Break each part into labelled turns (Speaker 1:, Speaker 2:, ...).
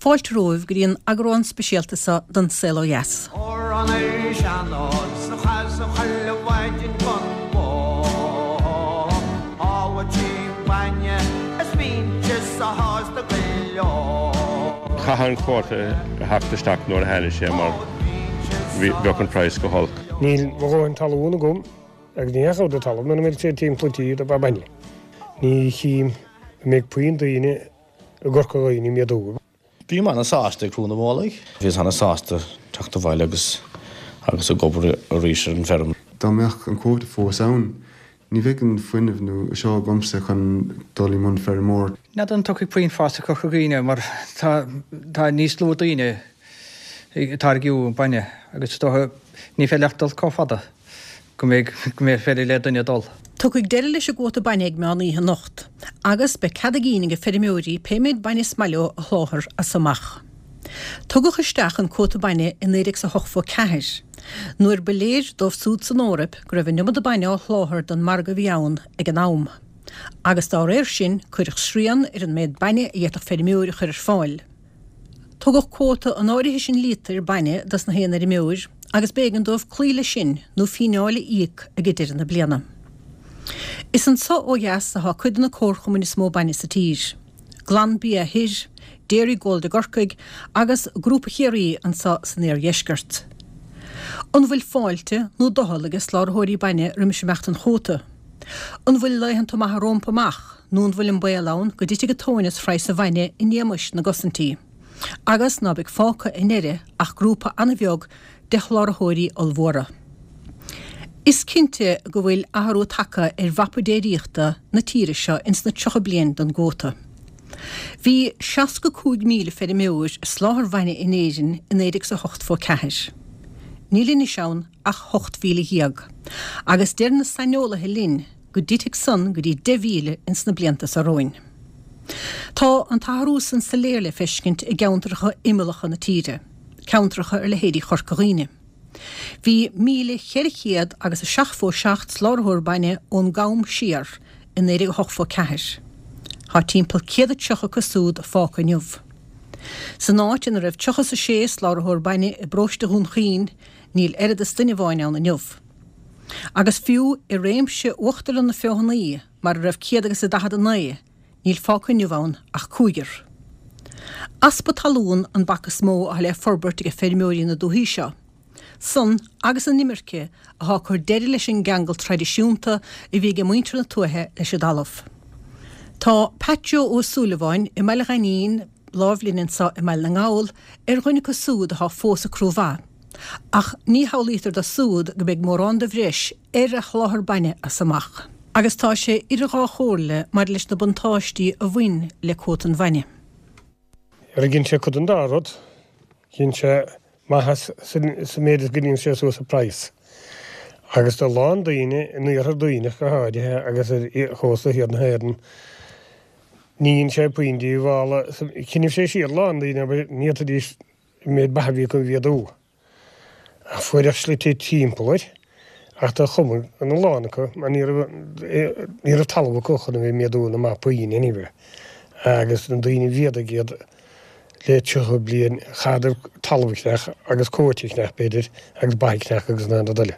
Speaker 1: Fáilte romhaibh go dtí an eagrán speisialta seo den Saol Ó Dheas.
Speaker 2: Amhrán ar sean-nós a chasadh chuile mhaidin don bhó. Shábháiltí bainne is bhínnse sásta go leor.
Speaker 3: Chaithfeadh an cuóta a theacht isteach nuair a tháinig sé mar bheadh an praghas go holc.
Speaker 4: Níl mo dhóthain talún agam agus ní dheachaigh de talamh mura mbeidh sé timpeall an tí do ba bainne. Ní chím go mbeidh puinn daoine i gCorca Dhuibhne ag méadú.
Speaker 5: Bím ana-sásta ag crú na mullaigh. Bhíos ana-sásta teacht abhaile agus agus ag obair arís ar an bhfeirm.
Speaker 6: Dá mbeadh an cuóta fós ann, ní bheadh an fuinneamh nó seo agamsa chun dul i mbun feirmeoir.
Speaker 7: N'fheadar an dtiocfaidh puinn fás i Corca Dhuibhne mar tá tá níos lú daoine ag táirgiú bainne agus is dócha ní féidir leat dul chomh fada. go mbeidh, go mbeidh féidir le duine dul.
Speaker 1: Tiocfaidh deireadh leis an gcuóta bainne ag meán oíche anocht agus beidh cead a gcinn ag feirmeoirí pé méid bainne is maith leo a sholáthar as so amach. Tugadh isteach an cuóta bainne i 1984, nuair ba léir dóibh súd san Eoraip go raibh an iomada bainne á sholáthar don margadh a bhí ann ag an am, agus dá réir sin cuireadh srian ar an méid bainne a d'fhéadfadh feirmeoir a chur ar fáil. Tugadh cuóta an áirithe sin líotair bainne dos na haon fheirmeoir agus b'éigean dóibh cloí leis sin nó fíneáil a íoc ag deireadh na bliana. Is anso ó dheas athá cuid de na comharchumainn is mó bainne sa tír, Glanbia thoir, Dairygold i gCorcaigh agus Grúpa Chiarraí anso san iardheisceart. An bhfuil fáilte nó doicheall age sláraitheoirí bainne roimis imeacht an chuóta? An bhfuil laethanta maithe rómpa amach? nó an bhfuil an baol ann go dtitfidh an tóin as phraghas an bhainne in éamais na gcosaintí, agus ná beidh fágtha i ndeireadh ach grúpa an-bheag de sholáthraítheoirí ollmhóra? Is cinnte go bhfuil athrú tagtha ar mhapa déiríochta na tíre seo ins na 30 bliain den gcuóta. Bhí 65,000 feirmeoir ag soláthar bhainne in Éirinn i 1984. Níl anois ann ach 18,000, agus deir na saineolaithe linn go dtitfidh san go dtí 10,000 ins na blianta so romhainn. Tá an t-athrú san soiléir le feiscint i gceantracha imeallacha na tíre, ceantracha ar leithéidí Chorca Dhuibhne. Bhí 1,400 agus 77 sláraitheoir bainne ón gCam siar i 1984. Tá timpeall 130 acu súd fágtha inniu. San áit ina raibh 36 sláraitheoir bainne i bparóiste Dhún Chaoin, níl oiread is duine amháin ann inniu. Agus fiú i réimse Uachtarlann na Feothanaí, mar a raibh céad agus a 49, níl fágtha inniu ann ach cúigear. Easpa talún an bac is mó atá le forbairt age feirmeoirí na dúthaí seo. San agus an imirce atá ag cur deireadh leis an gceangal traidisiúnta a bhí age muintir na tuaithe leis an dtalamh. Tá Pat Joe Ó Súilleabháin i mBaile Ghainín, láimh linn anso i mBaile na nGall, ar dhuine acu súd atá fós ag crú ba. Ach ní shamhlaítear do súd go mbeidh mórán de bhreis ar a sholáthar bainne as amach. Agus tá sé idir dhá chomhairle maidir leis na buntáistí a bhain le cuóta an bhainne.
Speaker 4: Dhein sé cuid den dá rud. Dhein sé maitheas sa méid is go ndéanann sé suas an praghas. Agus do a lán daoine, in iarthar Duibhneach go háirithe agus ar chósta thiar na hÉireann, ní dhein sé puinn díobhála. Choinnigh sé siar a lán daoine, ní fhéadfaidís an méid ba a bhí acu a mhéadú. Ach fuaireadh slite timpeall air, ach do chuma ina lán acu mar ní raibh ní raibh talamh acu chun a bheith ag méadú na mba puinn anyway. Agus na daoine a mhéadaigh iad le 30 bliain chaitheadar talamh a cheannach agus cóit a cheannach b'fhéidir agus ba a cheannach agus na rud eile.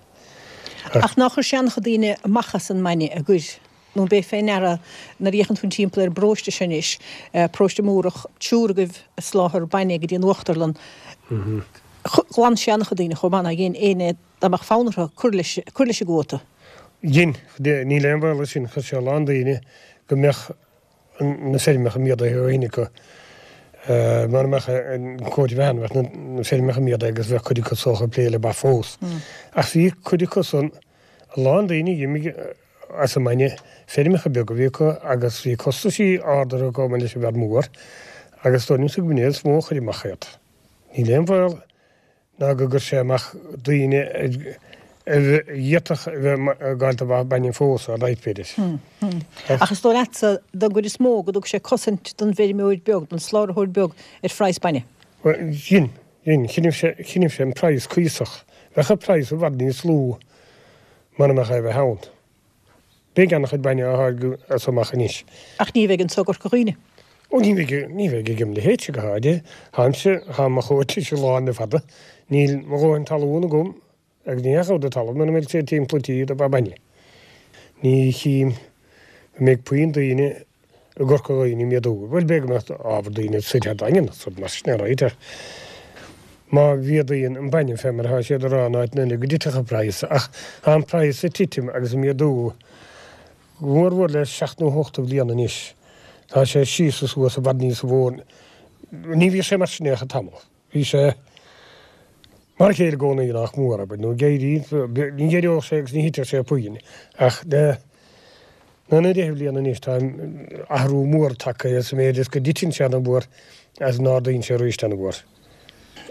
Speaker 1: Ach nár chuir sé an-chuid daoine amach as an mbainne ar gcuir? Nó an b'é fé ndeara nuair a fhéachann tú timpeall ar an bparóiste seo anois, paróiste Múrach, triúr agaibh ag soláthar bainne go dtí an uachtarlann, ghlan sé an-chuid daoine chomh maith, nár dhein éinne dá mbeadh fonn orthu cur leis, cur leis an gcuóta.
Speaker 4: Dhein, níl aon bhaol air sin, chuir sé a lán daoine go mbeadh na feirmeacha méadaithe ó shin acu. Mura mbeadh an cuóta a bheith ann, bheadh na feirmeacha méadaithe agus bheadh cuid acu is dócha ag plé le ba fós. Ach bhí cuid acu san, a lán daoine a d'imigh as an mbainne, feirmeacha beaga a bhí acu agus bhí costaisí arda orthu chomh maith leis an bhfear mór agus dóigh liomsa go mb'in é is mó a chuir amach iad. Níl aon bhaol ná go gcuir sé amach daoine a d'fhéadfadh a bheith ag gabháil do bhainne fós, all right, b'fhéidir.
Speaker 1: Ach is dóigh leatsa, don gcuid is mó, go dtug sé cosaint don bhfeirmeoir beag, don sláraitheoir beag ar phraghas bainne.
Speaker 4: Bhuel, dhein, dhein. Choinnigh sé, choinnigh sé an praghas cuíosach. Bheadh an praghas i bhfad níos lú mura mbeadh é a bheith ann. Beidh an-chuid bainne á tháirgeadh as amach anois.
Speaker 1: Ach ní bheidh anso i gCorca Dhuibhne.
Speaker 4: Ó ní bheidh, ní bheidh ag im leithéidse go háirithe. Táimse, tá mo chóta lán le fada. Níl mo dhóthain talún agam agus ní dheachaigh de talamh mura mbeidh sé timpeall an tí do ba bainne. Ní chím go mbeidh puinn daoine i gCorca Dhuibhne ag méadú. Bhuel, b'fhéidir go mbeadh ábhar daoine soir thar Daingean agus rud mar sin ar aghaidh ach má mhéadaíonn an bainne fé mar atá siad a rá in áiteanna eile go dtitfeadh an praghas ach tá an praghas ag titim agus ag méadú go mór mhór le seacht nó hocht de bhliana anois. Tá sé síos is suas i bhfad níos mó. Ní bhíodh sé mar sin ach tamall. Bhí sé mar a chéile i gcónaí nach mór, abair, nó ag éirí, ní éireodh sé agus ní thitfeadh sé puinn, ach le naoi nó deich mbliana anois tá athrú mór tagtha sa méid is go dtiteann sé ana-mhór agus go n-ardaíonn sé arís ana-mhór.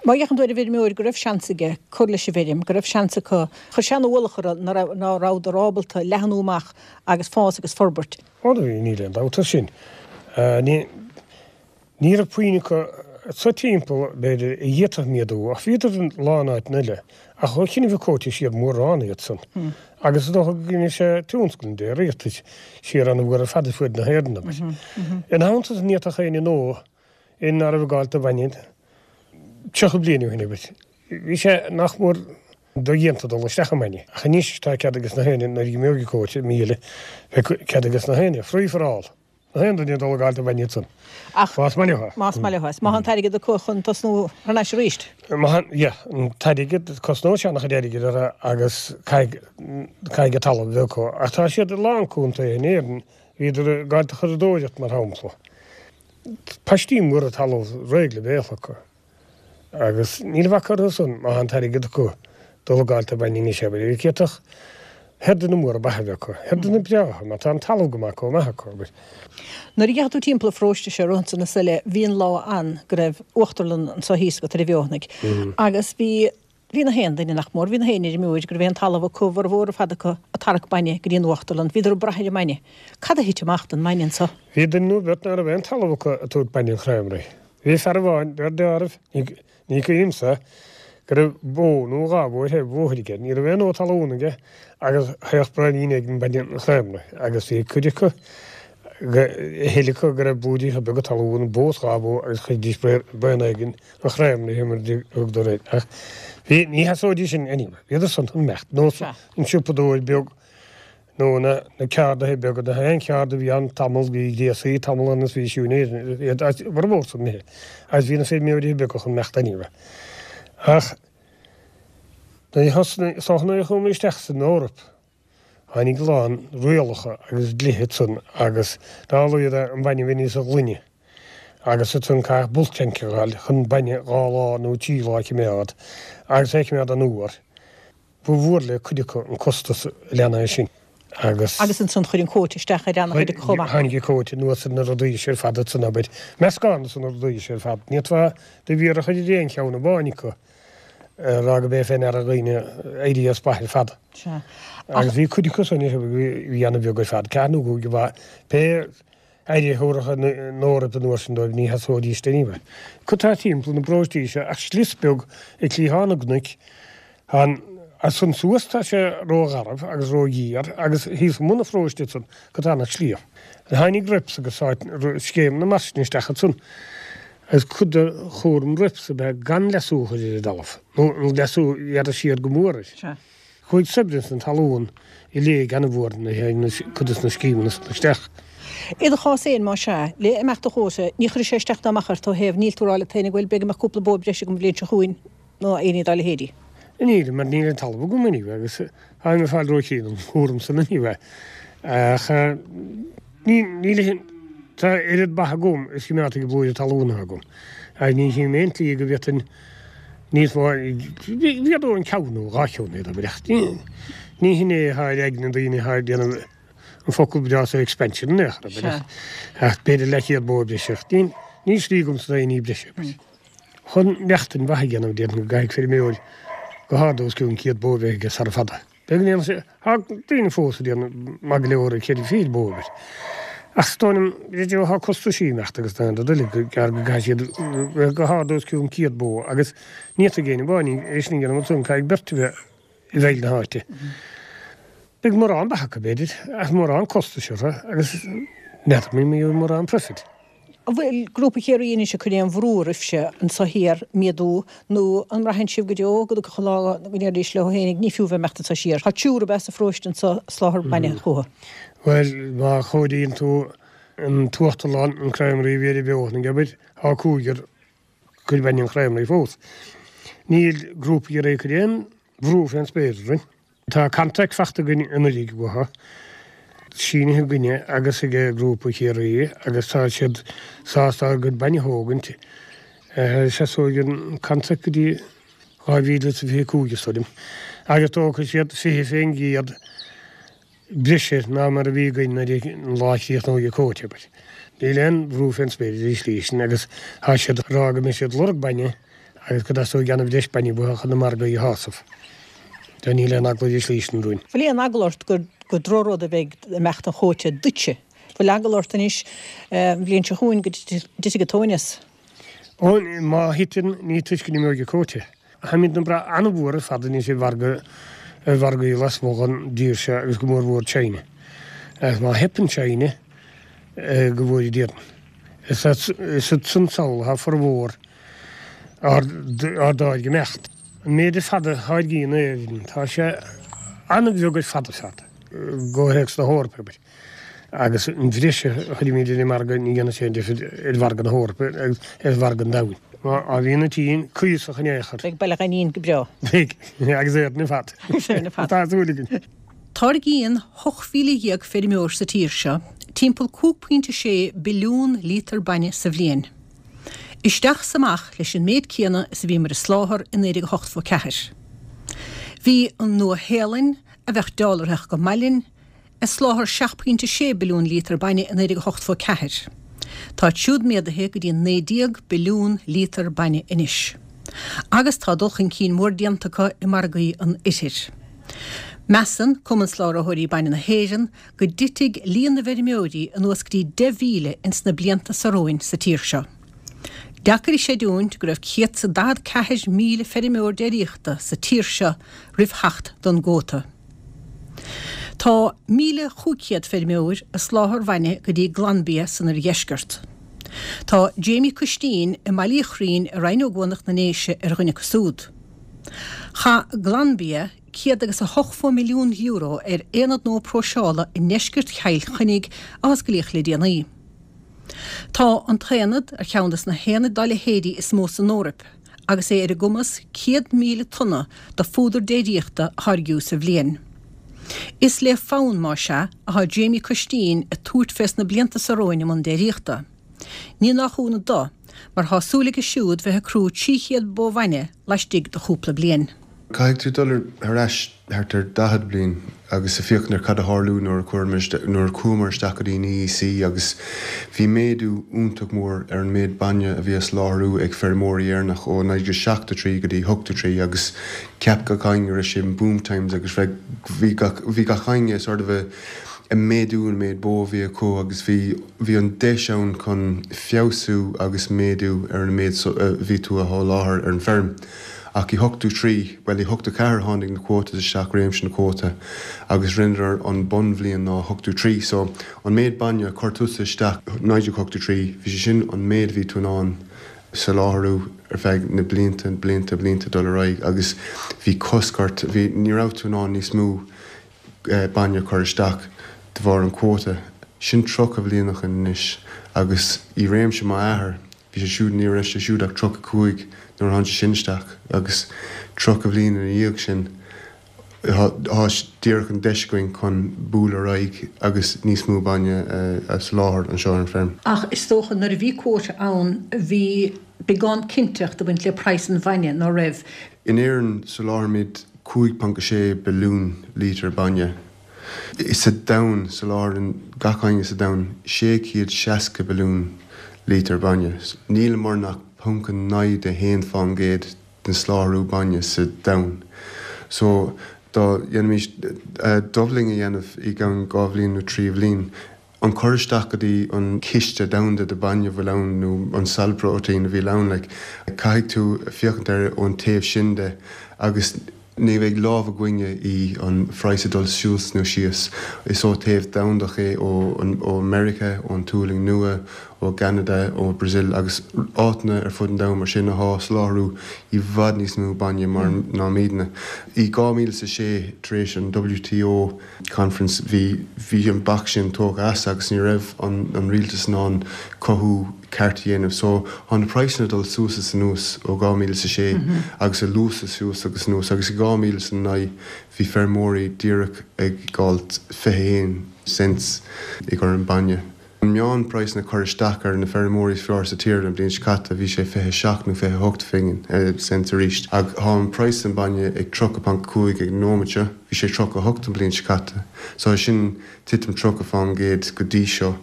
Speaker 1: Má fhéachann tú ar an bhfeirmeoir go raibh seans aige cur leis an bhfeirm, go raibh seans acu, chuir sé an-ualach orthu ná rabhadar ábalta leathnú amach agus fás agus forbairt.
Speaker 4: Ó do bhí, níl aon dabht air sin. Ní. Ní raibh puinn acu sa timpeall, b'fhéidir, a d'fhéadfadh méadú, ach bhíodar i lán áiteanna eile. Ach ó chinnfidh cóite siar mórán iad san. Agus is dócha go gcoinnigh sé tionscal an déiríochta siar an-mhór ar fad ar fuaid na hÉireann, abair. Ina theannta san ní fhéadfadh éinne nó éinne ná raibh ag gabháil do bhainne 30 bliain ó shin, abair. Bhí sé nach mór dodhéanta dul isteach i mbainne. Ach anois tá cead ages na héinne nuair a imeoidh an cóta i mí eile, beidh cead ages na héinne, free for all. Aon duine dul ag gabháil do bhainne ansan.
Speaker 1: Ach
Speaker 4: Más maith leo.
Speaker 1: Más maith leo. Is maith an t-airgead acu chun tosnú thar n-ais arís.
Speaker 4: Maith an, yeah, an t-airgead, cosnóidh sé an-chuid airgid orthu agus caithfidh, caithfidh an talamh a bheith acu. Ach tá siad i lán contaetha in Éirinn, bhíodar ag gabháil do churadóireacht mar shampla. Paistí móra talamh réidh le béal acu. Agus níl a bhac orthu san, má tá an t-airgead acu, dul ag gabháil do bhainne anois, abair. D'fhéadfadh herdanna móra ba a bheith acu, herdanna breátha, mar tá an talamh go maith, chomh maith acu, abair.
Speaker 1: Nuair a dheachaigh tú timpeall an pharóiste seo romhatsa na Soile, bhí an lá ann go raibh uachtarlann anso thíos agat ar an bhFeothanaigh agus bhí, bhí na haon duine, nach mór, bhí na haon fheirmeoir go raibh aon talamh acu, a bhformhór ar fad acu, ag tarrac bainne go dtí an uachtarlann. Bhíodar ag brath ar an mbainne. Cad a thit amach don mbainne anso?
Speaker 4: Bhí duine nó beirt ná raibh aon talamh acu ag tabhairt bainne an chreamery. Bhí fear amháin, deir deáramh, ní cuimhin liomsa, go raibh bó nó dhá bhó ar thaobh an bhóthair aige. Ní raibh aon fhód talún aige agus théadh braoinín éigin bainne an chreamery agus bhí cuid acu, a thuilleadh acu go raibh blúiríocha beaga talún, bó is dhá bhó agus chuiridís braon éigin an chreamery mar a thugadar air. Ach bhí, ní sheasóidís sin anyway. Bhíodar san chun imeacht, nós an siopadóir beag, nó na ceardaithe beaga, na haon cheard a bhí ann tamall, bhí gréasaí tamall ann is bhí siúinéir iad as formhór san imithe agus bhí na feirmeoirí beaga chun imeacht anyway. Ach nuair a thosnaigh, is dócha nuair a chuamar isteach san Eoraip, tháinig a lán rialacha agus dlíthe ansan agus dá laghad an bainne a bhí níosa ghlaine agus ansan caithfeadh bulk tank a ghabháil chun bainne dhá lá nó trí lá a chimeád agus é a chimeád an-fhuar. Ba mhór le cuid acu an costas a lean é sin agus.
Speaker 1: Agus ansan chuir an cóta isteach ar an-chuid acu chomh maith.
Speaker 4: Tháinig an cóta anuas ar na rudaí seo ar fad ansan, abair. Meascán de na rudaí seo ar fad. Ní fhéadfá do mhéar a chur ar aon cheann amháin acu a rá go b'é fé ndeara dhaoine éirí as ba ar fad.
Speaker 1: Sea.
Speaker 4: Agus bhí cuid acu san a bhí ana-bheag ar fad, ceathair nó cúig ba. Pé aire a thabharfadh an Eoraip an uair sin dóibh ní sheasóidís anyway. Cad tá timpeall na bparóistí seo ach slios beag ag cliathán na gcnoic, an as san suas tá sé ró-gharbh agus ró-ghéar agus thíos i mbun an pharóiste ansan cad tá ann ach sliabh. Tháinig Rips agus scéimeanna mar sin isteach ansan agus cuid de chúram Rips ab ea gan leasú a chur ar an dtalamh, nó an leasú a ghearradh siar go mór air. Chuaigh saibhreas na talún i léig an-mhór nuair a tháinig cuid de na scéimeanna san isteach.
Speaker 1: I do chás féin, más ea, le imeacht an chóta, ní chuirfidh sé isteach ná amach ort ó thaobh, níl tú ag rá leat féin bhuel, b'fhéidir go mbeadh cúpla bó breise agam an bhliain seo chugainn nó aon ní dá leithéidí.
Speaker 4: Níl, mar níl an talamh agam anyway agus táim ag fáil róchian an chúram san anyway. Ach ní, níl aon, tá oiread ba agam is go mbeadh ag an bplúire talún agam. Agus ní chím aon tslí go bhféadfainn níos mó, mhéadóinn ceann nó dhá cheann iad, abair, ach ní hin é atá ar aigne daoine atá ag déanamh an focal breá so expansion in aon chor, abair, ach b'fhéidir leathchéad bó breise, ach níl slí agamsa d'aon ní breise, abair. Chun neachtain mhaith a dhéanamh déarfainn go gcaithfidh feirmeoir go hard os cionn 100 bó a bheith aige sara fada. Beidh go ndéanfaidh sé, tá daoine fós ag déanamh maith go leor ag cheithre fichid bó, abair. Ach is dóigh liom, b'fhéidir tá costaisí ag imeacht agus na rud uilig go gearr go gcaithfidh siad bheith go hard os cionn 100 bó agus ní fhéadfaidh éinne amháin é sin a dhéanamh ansan, caithfidh beirt a bheith i bhfeighil na háite. Beidh mórán ba acu, b'fhéidir, ach mórán costais orthu agus n'fheadar an mbeidh mórán profit.
Speaker 1: An bhfuil Grúpa Chiarraí anois ag cur aon bhrú oraibhse anso thiar méadú nó an mbraitheann sibh go deo go dtiocfadh an lá go ndéarfaidís leo fhéinig ní fiú bheith ag imeacht anso siar. Tá triúr ab ea sa pharóiste anso ag soláthar bainne chucu.
Speaker 4: Bhuel, má chomhairíonn tú an t-uachtarlán, an Creamery a bhí ar an bhFeothanaigh, abair, tá cúigear ag cur bainne an Chreamery fós. Níl Grúpa Chiarraí ag cur aon bhrú fén spéir orainn. Tá contract fachta againn anuraidh uathu, sínithe againne agus ag Grúpa Chiarraí agus tá siad sásta ár gcuid bainne a thógaint. Seasóidh an contract go dtí 2025 is dóigh liom. Agus tógfaidh siad 20% breise ná mar a bhí againn nuair an lá a chríochnóidh an quota, abair. Níl aon bhrú fén spéir ar an slí sin agus tá siad ag rá go mbeidh siad ag lorg bainne agus go dteastóidh an-bhreis bainne uathu chun na margaí a shásamh. So níl aon eagla ar an slí sin romhainn.
Speaker 1: Bhfuil aon eagla ort gur gur drochrud a bheidh imeacht an chuóta duitse? Bhfuil eagla ort anois an bhliain seo chugainn go dtitfidh an tóin as?
Speaker 4: Ó, má thiteann, ní toisc go n-imeoidh an cuóta. Táimid ag brath an-mhór ar fad anois ar mhargadh, ar mhargaí lasmuigh den dtír seo agus go mór mhór China. Agus má theipeann China, go bhfóire Dia orainn. Is iad san sall atá formhór ár dtáirge ag imeacht. An méid ar fad a tháirgíonn Éirinn, tá sé an-bheag ar fad ar fad i gcomhthéacs na hEorpa, abair. Agus an bhreis a chuirimid ar an margadh, ní dhéanann sé aon difear ar mhargadh na hEorpa agus ar mhargadh an domhain. Má bhíonn an tSín cuíosach in aon chor.
Speaker 1: Beidh Baile Ghainín go breá.
Speaker 4: Beidh, agus Éirinn ar fad.
Speaker 1: Agus Éirinn ar fad.
Speaker 4: Tá súil againn.
Speaker 1: Táirgíonn 18,000 feirmeoir sa tír seo timpeall 5.6 billiún líotar bainne sa bhliain. Isteach 's amach leis an méid céanna is a bhíomar ag soláthar i 1984. Bhí an Nua-Shéalainn, a bheadh dealraitheach go maith linn, ag soláthar 7.6 billiún líotar bainne i 1984. Táid siúd méadaithe go dtí 19 billiún líotar bainne anois. Agus tá dul chun cinn mór déanta acu i margaí an Oirthir. Measann Cumann Soláthróirí Bainne na hÉireann go dtitfidh líon na bhfeirmeoirí anuas go dtí 10,000 ins na blianta so romhainn sa tír seo. Deacair a chreidiúint go raibh 144,000 feirmeoir déiríochta sa tír seo roimh theacht don gcuóta. Tá 1,500 feirmeoir ag soláthar bainne go dtí Glanbia san oirdheisceart. Tá Jamie Custín i mBaile Uí Churraoin i Rinn Ó gCuanach na nDéise ar dhuine acu súd. Chaith Glanbia €180 milliún ar aonad nua próiseála i ndeisceart Chill Chainnigh a osclaíodh le déanaí. Tá an t-aonad ar cheann de na haonaid dá leithéidí is mó san Eoraip agus é ar a gcumas 100,000 tonna de phúdar déiríochta a tháirgiú sa bhliain. Is le fonn, más ea, atá Jamie Custín ag tabhairt fés na blianta so romhainn i mbun déiríochta. Ní nach ionadh do, mar tá súil aige siúd bheith ag crú 300 bó bhainne laistigh de chúpla bliain.
Speaker 6: Caithfidh tú dul ar ais thart ar 40 bliain agus a féachaint ar cad a tharlú nuair a nuair a chuamar isteach go dtí an EEC agus bhí méadú iontach mór ar an méid bainne a bhí á soláthrú ag feirmeoirí Éireannach ó 1973 go dtí 83 agus cheap gach éinne go raibh sé in boom times agus bhí gach bhí gach éinne sort of a ag méadú an méid bó a bhí acu agus bhí bhí an deis ann chun feabhsú agus méadú ar an méid a bhí tú a sholáthar ar an bhfeirm. Ach i 83, bhuel i 84 tháinig na quotas isteach, réimse na quota, agus rinneadar an bunbhliain ná 83. So an méid bainne a chuir tusa isteach 1983, bhí sé sin an méid a bhí tú in ann soláthrú ar feadh na blianta, blianta, blianta dul ar aghaidh agus bhí cosc ort, bhí, ní raibh tú in ann níos mó bainne a chur isteach de bharr an quota. Sin 30 bhliain ó shin anois agus i réimse m'athar, bhí sé siúd, ní raibh sé siúd ach 35 nuair a tháinig sé sin isteach agus 30 bhliain ina dhiaidh sin tá díreach an deis againn chun bualadh ar aghaidh agus níos mó bainne a soláthar anseo ar an bhfeirm.
Speaker 1: Ach is dócha nuair a bhí quota ann bhí beagán cinnteacht ag baint le praghas an bhainne, ná raibh?
Speaker 6: In Éirinn soláthraímid 5.6 billiún lítear bainne. Sa domhan, soláthraíonn gach éinne sa domhan 660 billiún lítear bainne. Níleamar ach 0.9 de 1% den soláthrú bainne sa domhan. So, dá ndéanfaimis doubling a dhéanamh i gceann dhá bhliain nó trí bhliain, an cur isteach go dtí an ciste domhanda de bainne a bhfuil ann nó an solid protein a bhí ann like caithfidh tú féachaint air ón taobh sin de agus ní bheidh lámh againne i an phraghas ag dul suas nó síos. Is ó taobh domhandach é ó ó Meiriceá, ón tSealainn Nua, ó. Ó gCeanada, ó Brazil agus áiteanna ar fud an domhain mar sin athá soláthrú i bhfad níos mó bainne mar ná muidne. I 2006 tar éis an WTO conference bhí bhí an bac sin tógtha as agus ní raibh an an rialtas in ann cothú ceart a dhéanamh so thá na praghsanna ag dul suas is anuas ó 2006 agus ag luasú suas agus anuas agus i 2009 bhí feirmeoirí díreach ag fáilt 21 cents i gcomhair an bainne. An meán praghsanna cur isteach ar na feirmeoirí is fearr sa tír an bhliain seo caite bhí sé 27 nó 28 phingin, cents arís. Ach tá an praghas an bainne ag 30.5 ag an nóimeat seo, bhí sé 38 an bhliain seo caite. So sin titim 30 fán gcéad go dtí seo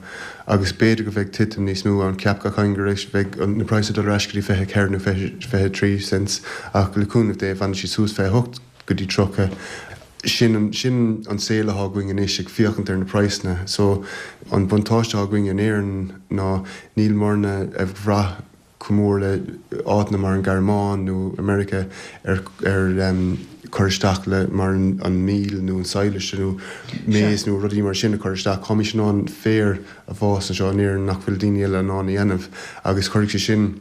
Speaker 6: agus b'fhéidir go bheidh titim níos mó ann. Cheap gach éinne go raibh bheidh na praghsanna dul ar ais go dtí 24 nó 23 cents ach le cúnamh Dé fanfaidh siad suas 28. go dtí 30. Sin an, sin an saol athá againn anois ag féachaint ar na praghsanna. So, an buntáiste athá againn in Éirinn ná níl muidne ag bhrath chomh mór le áiteanna mar an Ghearmáin nó America ar, ar cur isteach le mar an, an mil nó an sadhlas nó maize nó rudaí mar sin a chur isteach. Táimís in ann féar a fhás anseo in Éirinn nach bhfuil daoine eile in ann a dhéanamh agus cuirfidh sé sin,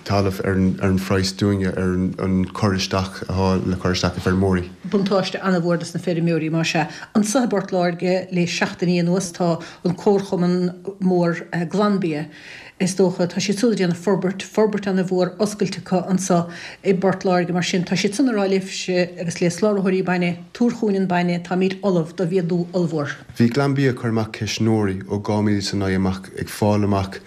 Speaker 6: talamh ar an phraghas dúinne, ar an cur isteach atá le cur isteach ag feirmeoirí.
Speaker 1: Buntáiste an-mhór dos na feirmeoirí, más ea. Anso i bPort Láirge le seachtainí anuas tá an comharchumann mór Glanbia, is dócha, tá siad súd ag déanamh forbairt, forbairt an-mhór oscailte acu anso i bPort Láirge mar sin tá siad san ag rá libhse agus le soláthróirí bainne, tabhair chugainn an bainne, táimid ullamh do mhéadú ollmhór.
Speaker 6: Bhí Glanbia ag cur amach ceistneoirí ó 2009 amach ag fáil amach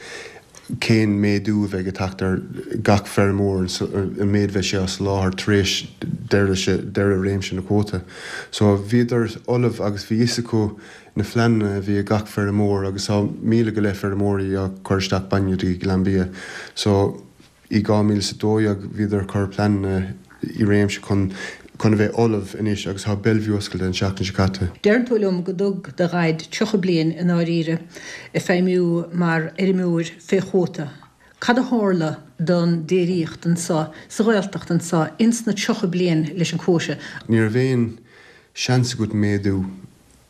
Speaker 6: cén méadú a bheidh ag teacht ar gach feirmeoir, an méid a bheidh sé á soláthar tar éis deireadh réimse na cuóta. So bhíodar ullamh agus bhí fhios acu na phleananna a bhí ag gach feirmeoir agus tá 1,000 go leith feirmeoirí á cur isteach bainne do Ghlanbia. So i 2012 bhíodar ag cur pleananna i réimse chun chun a bheith ullamh anois agus tá Bellevue oscailte an tseachtain seo caite.
Speaker 1: Deireann tú liom go dtug do dhaid 30 bliain i ndáiríre ag feidhmiú mar fheirmeoir fé chuóta. Cad a tharla don déiríocht anso sa Ghaeltacht anso ins na 30 bliain leis an cuóta?
Speaker 6: Ní raibh aon seans agat méadú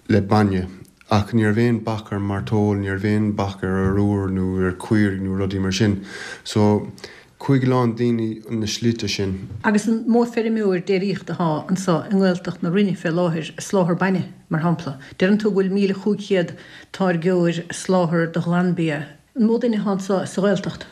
Speaker 6: le bainne. Ach ní raibh aon bac ar mairteoil, ní raibh aon bac ar arúr nó ar caoirigh nó rudaí mar sin. So, chuaigh a lán daoine na slite sin.
Speaker 1: Agus an mó feirmeoir déiríochta athá anso i nGaeltacht na Rinne fé láthair ag soláthar bainne, mar shampla? Deireann tú go bhfuil 1,500 táirgeoir ag soláthar do Ghlanbia. An mó duine athá anso sa Ghaeltacht?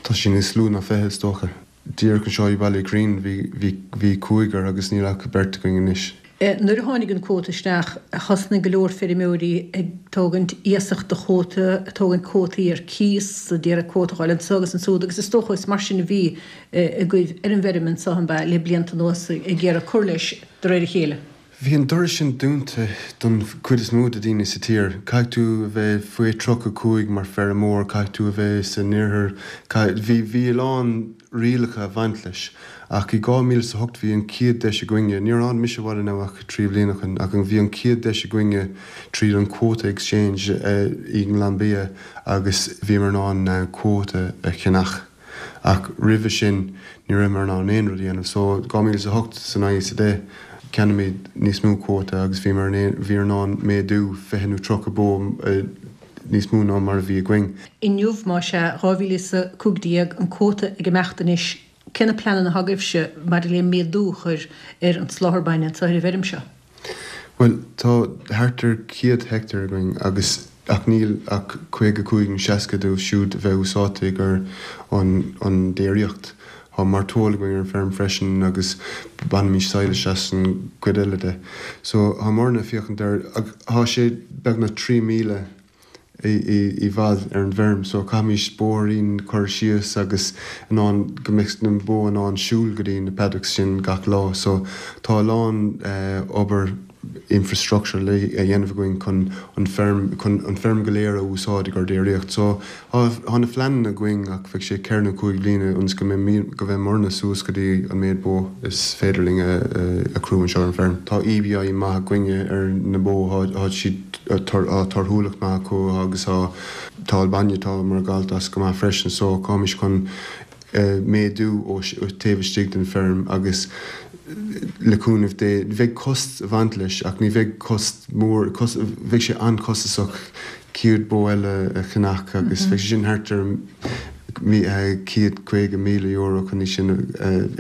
Speaker 6: Tá sé níos lú ná 20, is dócha. Díreach anseo i Baile Ghrín bhí, bhí cúigear agus níl ach beirt againn anois.
Speaker 1: Nuair a tháinig an cuóta isteach thosnaigh go leor feirmeoirí ag tógaint iasacht do chuóta, ag tógaint cuótaí ar cíos, ag iarraidh cuóta a fháil anso agus ansúd agus is dócha is mar sin a bhí agaibh ar an bhfeirm anso, an b'ea, le blianta anuas ag iarraidh cur leis de réir a chéile.
Speaker 6: Bhí an doras sin dúnta don chuid is mó de daoine sa tír. Caithfidh tú a bheith faoi 35 mar feirmeoir, caithfidh tú a bheith san oirthear, caithfidh, bhí, bhí a lán rialacha a bhaint leis. Ach i 2008 bhí an chéad deis againne, níor tháinig mise abhaile now ach 3 bliana ó shin, ach bhí an chéad deis againne tríd an quota exchange i nGlanbia agus bhíomar in ann quota a cheannach. Ach roimhe sin ní rabhamar in ann aon rud a dhéanamh. So 2008 san 9 is 10 cheannaímid níos mó cuóta agus bhíomar in bhíomar in ann méadú 20 nó 30 bó níos mó ná mar a bhí againn.
Speaker 1: Inniu, más ea, 2015, an cuóta ag imeacht anois, cé na pleananna atá agaibhse maidir le méadú a chur ar an soláthar bainne anseo ar an bhfeirm seo?
Speaker 6: Bhuel, tá thart ar 100 heicteár againn agus ach níl ach 55 nó 60 dóibh siúd a bheith úsáidte i gcomhair an an déiríocht. Tá mairteoil againn ar an bhfeirm freisin agus bainimid sadhlas as an gcuid eile de. So, tá muidne ag féachaint ar, ach tá sé beagnach 3 míle i bhfad ar an bhfeirm so caithfimís bóithrín cur síos agus in ann go mbeadh na bó in ann siúl go dtí na paddocks sin gach lá so tá a lán obair infrastructure le a dhéanamh againn chun an feirm chun an feirm go léir a úsáid i gcomhair déiríocht so tá na phleananna againn ach bheadh sé ceithre nó cúig bliana ionas go mbeidh go mbeidh muidne suas go dtí an méid bó is féidir linn a crú anseo ar an bhfeirm. Tá EBI maith againne ar na bó tá siad tá torthúlacht maith acu agus tá tá an bainne atá muid ag gabháilt as go maith freisin so táimís chun méadú ó taobh istigh den feirm agus le cúnamh Dé bheidh cost a bhaint leis ach ní bheidh cost mór bheidh sé an-chostasach. 100 bó eile a cheannach agus bheadh sé sin thart ar €150,000 chun í sin a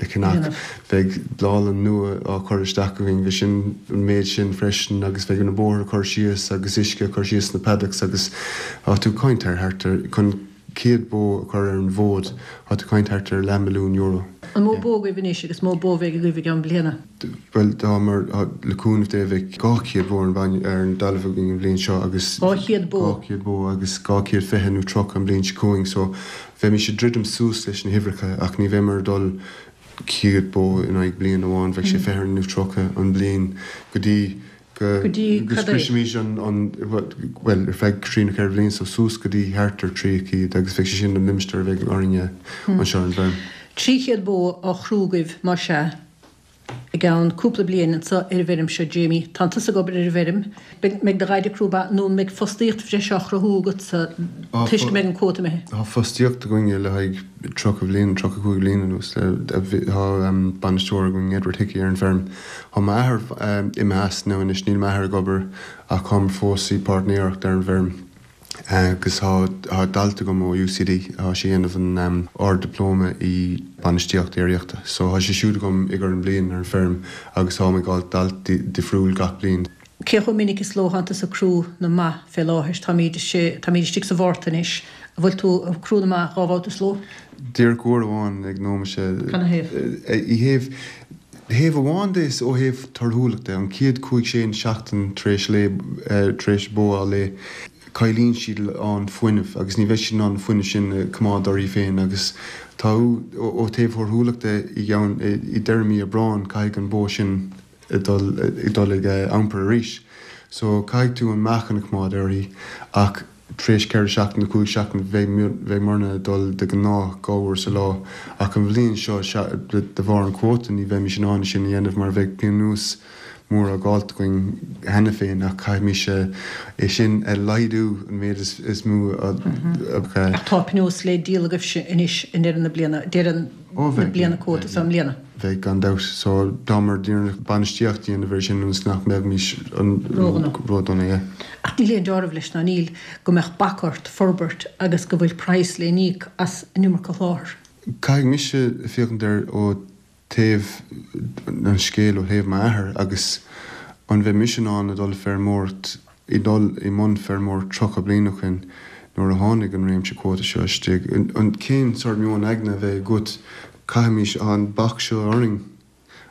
Speaker 6: cheannach. Bheadh bláthlann nua á cur isteach againn, bheadh sin an méid sin freisin agus bheadh na bóithre cur síos agus uisce a chur síos sna paddocks agus tá tú ag caint ar thart ar, chun 100 bó a chur ar an bhfód, tá tú ag caint thart ar leathmhilliún euro.
Speaker 1: An mó bó agaibh anois agus mó bó a bheidh agaibh i gceann bliana?
Speaker 6: Bhuel, tá mar, le cúnamh Dé, bheidh 200 bó ar an bhain, ar an dtalamh againn an bhliain seo agus.
Speaker 1: 200 bó?
Speaker 6: 200 bó agus 220 nó 30 an bhliain seo chugainn so bheimis ag druidim suas leis na huimhreacha ach ní bheimir ag dul 100 bó in aghaidh bliain amháin, bheadh sé 20 nó 30 an bhliain go dtí go
Speaker 1: Go dtí
Speaker 6: go
Speaker 1: cad é?
Speaker 6: scriosfaimis an, an, bhuel, ar feadh trí nó ceithre bhliain so suas go dtí thart ar 300 agus bheadh sé sin an limistéar a bheidh orainne anseo ar an bhfeirm.
Speaker 1: 300 bó á chrú agaibh, más ea, i gceann cúpla bliain anseo ar an bhfeirm seo, Jamie. Tánn tusa ag obair ar an bhfeirm. Mbeidh do dhaid ag crú ba nó an mbeidh fostaíocht bhreise á chruthú agatsa toisc go mbeidh an cuóta imithe?
Speaker 6: Tá fostaíocht againne le haghaidh 30 bliain, 35 bliain anuas. Tá bainisteoir againn, Edward Hickey, ar an bhfeirm. Tá m'athair imithe as now anois, níl m'athair ag obair ach táimid fós i bpáirtnéireacht ar an bhfeirm. Agus tá dalta agam ó UCD, tá sé ag déanamh an Ard-Dioplóma i Bainistíocht Déiríochta. So tá sé siúd agam ag ar an bliain ar an feirm agus táim ag fháil dalta difriúil gach bliain.
Speaker 1: Cé chomh minic is ló thánn tusa ag crú na mba fé láthair? Táimíd, táimíd istigh sa Mhárta anois. An bhfuil tú ag crú na mba dhá bhabhta sa ló?
Speaker 6: Díreach uair amháin ag nóiméad sé.
Speaker 1: Canathaobh?
Speaker 6: I thaobh, thaobh amháin de is ó thaobh torthúlacht de, an chéad chúig sé seachtain tar éis lao, tar éis bó á lao, cailleann siad a lán fuinnimh agus ní bheidh siad in ann an fuinneamh sin a choimeád orthu féin agus tá ó thaobh thorthúlacht de i gceann, i deireadh mí Aibreáin caithfidh an bó sin dul, dul ag iompar arís. So caithfidh tú an meáchan a choimeád uirthi ach Tar éis ceithre seachtaine nó cúig seachtaine bheadh muidne ag dul de ghnáth dhá uair sa lá ach an bhliain seo de bharr an cuóta ní bheimis in ann sin a dhéanamh mar bheadh pionós mór á ghabháilt againn cheana féin ach caithfimis é sin a laghdú an méid is mó a
Speaker 1: Ach tá pionós le díol agaibhse anois i ndeireadh na bliana, deireadh na bliana cuóta so i mbliana.
Speaker 6: Bheadh, gan dabht. So, táimid ag iarraidh bainistíocht a dhéanamh air sin ionas nach mbeimís
Speaker 1: Ródhona.
Speaker 6: Yeah.
Speaker 1: Ach níl aon deáramh leis ná níl go mbeadh bac ort forbairt agus go bhfuil praghas le n-íoc as an iomarca sholáthair.
Speaker 6: Caithfidh mise féachaint air ó taobh an scéil, ó thaobh m'athair agus an mbeidh mise in ann a dhul feirmeoireacht i dul i mbun feirmeoireacht 30 bliain ó shin nuair a tháinig an réimse cuóta seo istigh. An cén sórt meon aigne a bheidh agat? Caithfimis, tá an bac seo orainn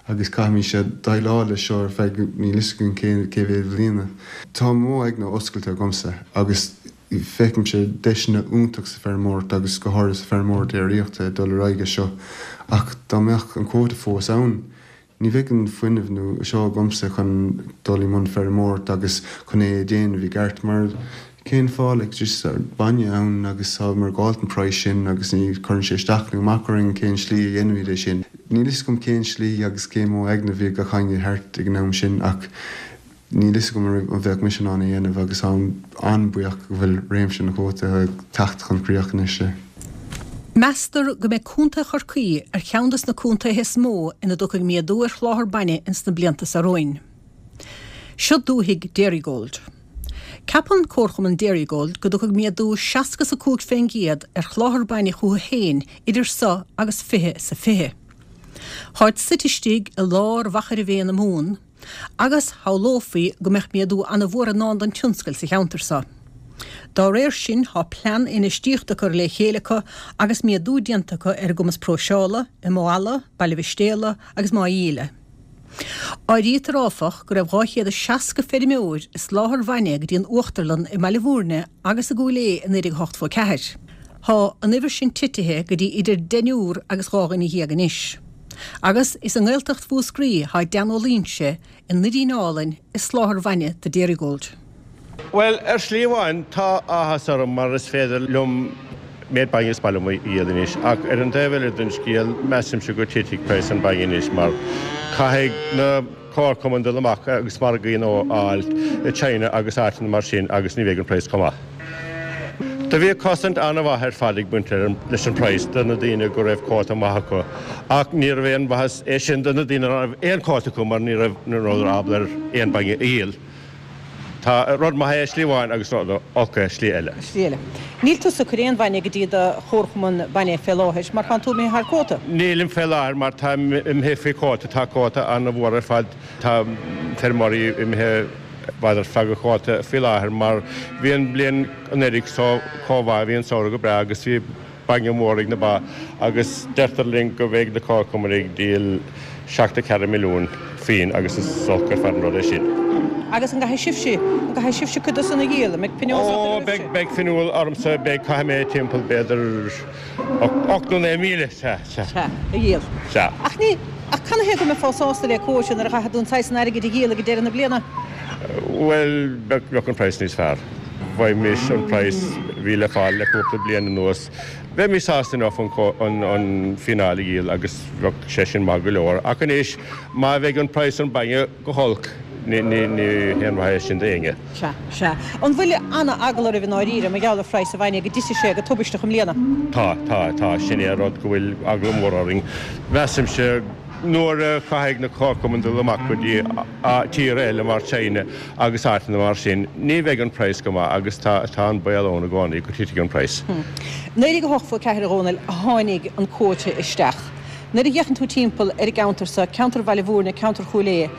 Speaker 6: agus caithfimis déileáil leis seo ar feadh níl fhios againn cé cé mhéad bhliana. Tá mo aigne oscailte agamsa agus feicimse deiseanna iontach sa feirmeoireacht agus go háirithe sa feirmeoireacht déiríochta ag dul ar aghaidh as seo ach dá mbeadh an cuóta fós ann, Ní bheadh an fuinneamh nó seo agamsa chun dul i mbun feirmeoireacht agus chun é a dhéanamh i gceart mar cén fáth like just bainne ann agus tá muid ag fáilt an praghas sin agus ní chuireann sé isteach nó amach orainn cén slí a dhéanaimid é sin. Níl fhios agam cén slí agus cén modh aigne a bhí ag gach éinne thart ag an am sin ach Níl fhios agam an bheadh mise in ann é a dhéanamh agus táim an-buíoch go bhfuil réimse na cuóta ag teacht chun críoch anois.
Speaker 1: Meastar go mbeidh Contae Chorcaí ar cheann des na contaetha is mó ina dtiocfaidh méadú ar sholáthar bainne ins na blianta seo romhainn. Seo dúthaigh Dairygold. Ceapann Comharchumann Dairygold go dtiocfaidh méadú 60 's 5 fén gcéad ar sholáthar bainne chucu féin idir seo agus 20 's a 20. Táid suite istigh i lár Mhachaire Bhé na Mumhan, Agus shamhlófaí go mbeadh méadú ana-mhór i ndán don tionscal sa cheantar so. Dá réir sin, thá plean infheistíochta curtha le chéile acu agus méadú déanta acu ar a gcumas próiseála i Maigh Ealla, Baile Mhistéala agus Maigh Íle. Áirítear, áfach, go raibh 260 feirmeoir ag soláthar bhainne go dtí an uachtarlann i mBaile Bhúirne agus i gCúil Aodha i 1984. Thá an uimhir sin titithe go dtí idir deichniúr agus dhá dhuine dhéag anois. Agus is i nGaeltacht Mhúscraí thá Dan Ó Loingsigh i nDoirín Álainn ag soláthar bhainne do Dairygold.
Speaker 3: Bhuel, ar shlí amháin, tá áthas orm mar is féidir liom méid bainne is maith liom a dhíol anois, ach ar an taobh eile den scéal, measaimse go titfidh praghas an bhainne anois mar caithfidh na comharchumainn dul amach agus margaí nua a fháil i China agus áiteanna mar sin agus ní bheidh an praghas chomh maith. Do bhíodh cosaint an-mhaith ar fad ag baint leis an praghas do na daoine go raibh cuóta maith acu ach níorbh aon mhaitheas é sin do na daoine nach raibh aon cuóta acu mar ní raibh ní rabhadar ábalta ar aon bainne a dhíol. Tá rud maith é slí amháin agus rud olc é slí eile.
Speaker 1: Slí eile. Níl tusa ag cur aon bhainne go dtí do chomharchumann bainne fé láthair mar tánn tú imithe thar cuóta.
Speaker 3: Nílim fé láthair mar táim imithe faoi chuóta. Tá cuóta an-mhór ar fad. Tá feirmeoirí imithe i bhfad ar feadh an chuóta faoi láthair mar bhí an bhliain anuraidh so chomh mhaith, bhí an samhradh go breá agus bhí bainne mór ag na ba agus deirtear linn go mbeidh na comharchumainn ag díol 74 milliún pingin agus is olc ar fad an rud é sin.
Speaker 1: Agus an gcaithfidh sibhse, an gcaithfidh sibhse cuid de san a dhíol? An mbeidh pionós
Speaker 3: ort ar Ó, beidh, beidh pionós ormsa, beidh, caithfidh mé timpeall b'fhéidir 8 nó 9,000, sea, sea.
Speaker 1: Sea, a dhíol.
Speaker 3: Sea.
Speaker 1: Ach ní, ach canathaobh go mbeifeá sásta le cuóta nuair a chaithfidh tú an saghas san airgid a dhíol ag deireadh na bliana?
Speaker 3: Bhuel, bheadh, bheadh an praghas níos fearr. Bhfaighimís an praghas a bhí le fáil le cúpla bliain anuas. Bheimis sásta enough an fíneáil a dhíol agus bheadh sé sin maith go leor. Ach anois, má bheidh an praghas an bainne go holc, ní haon mhaith é sin d'éinne.
Speaker 1: Sea, sea. An bhfuil ana-eagla oraibh i ndáiríre mar gheall ar phraghas an bhainne go dtitfidh sé go tubaisteach i mbliana?
Speaker 3: Tá, tá, tá. Sin é an rud go bhfuil eagla mór orainn. Measaimse nuair a chaithfidh na comharchumainn dul amach go dtí tíortha eile mar China agus áiteanna mar sin, ní bheidh an praghas go maith agus tá tá an baol ann i gcónaí go titfidh an praghas.
Speaker 1: 1984 a Dhónaill a tháinig an cuóta isteach. Nuair a fhéachann tú timpeall ar an gceantar so, ceantar Bhaile Mhúirne, ceantar Chúil Aodha,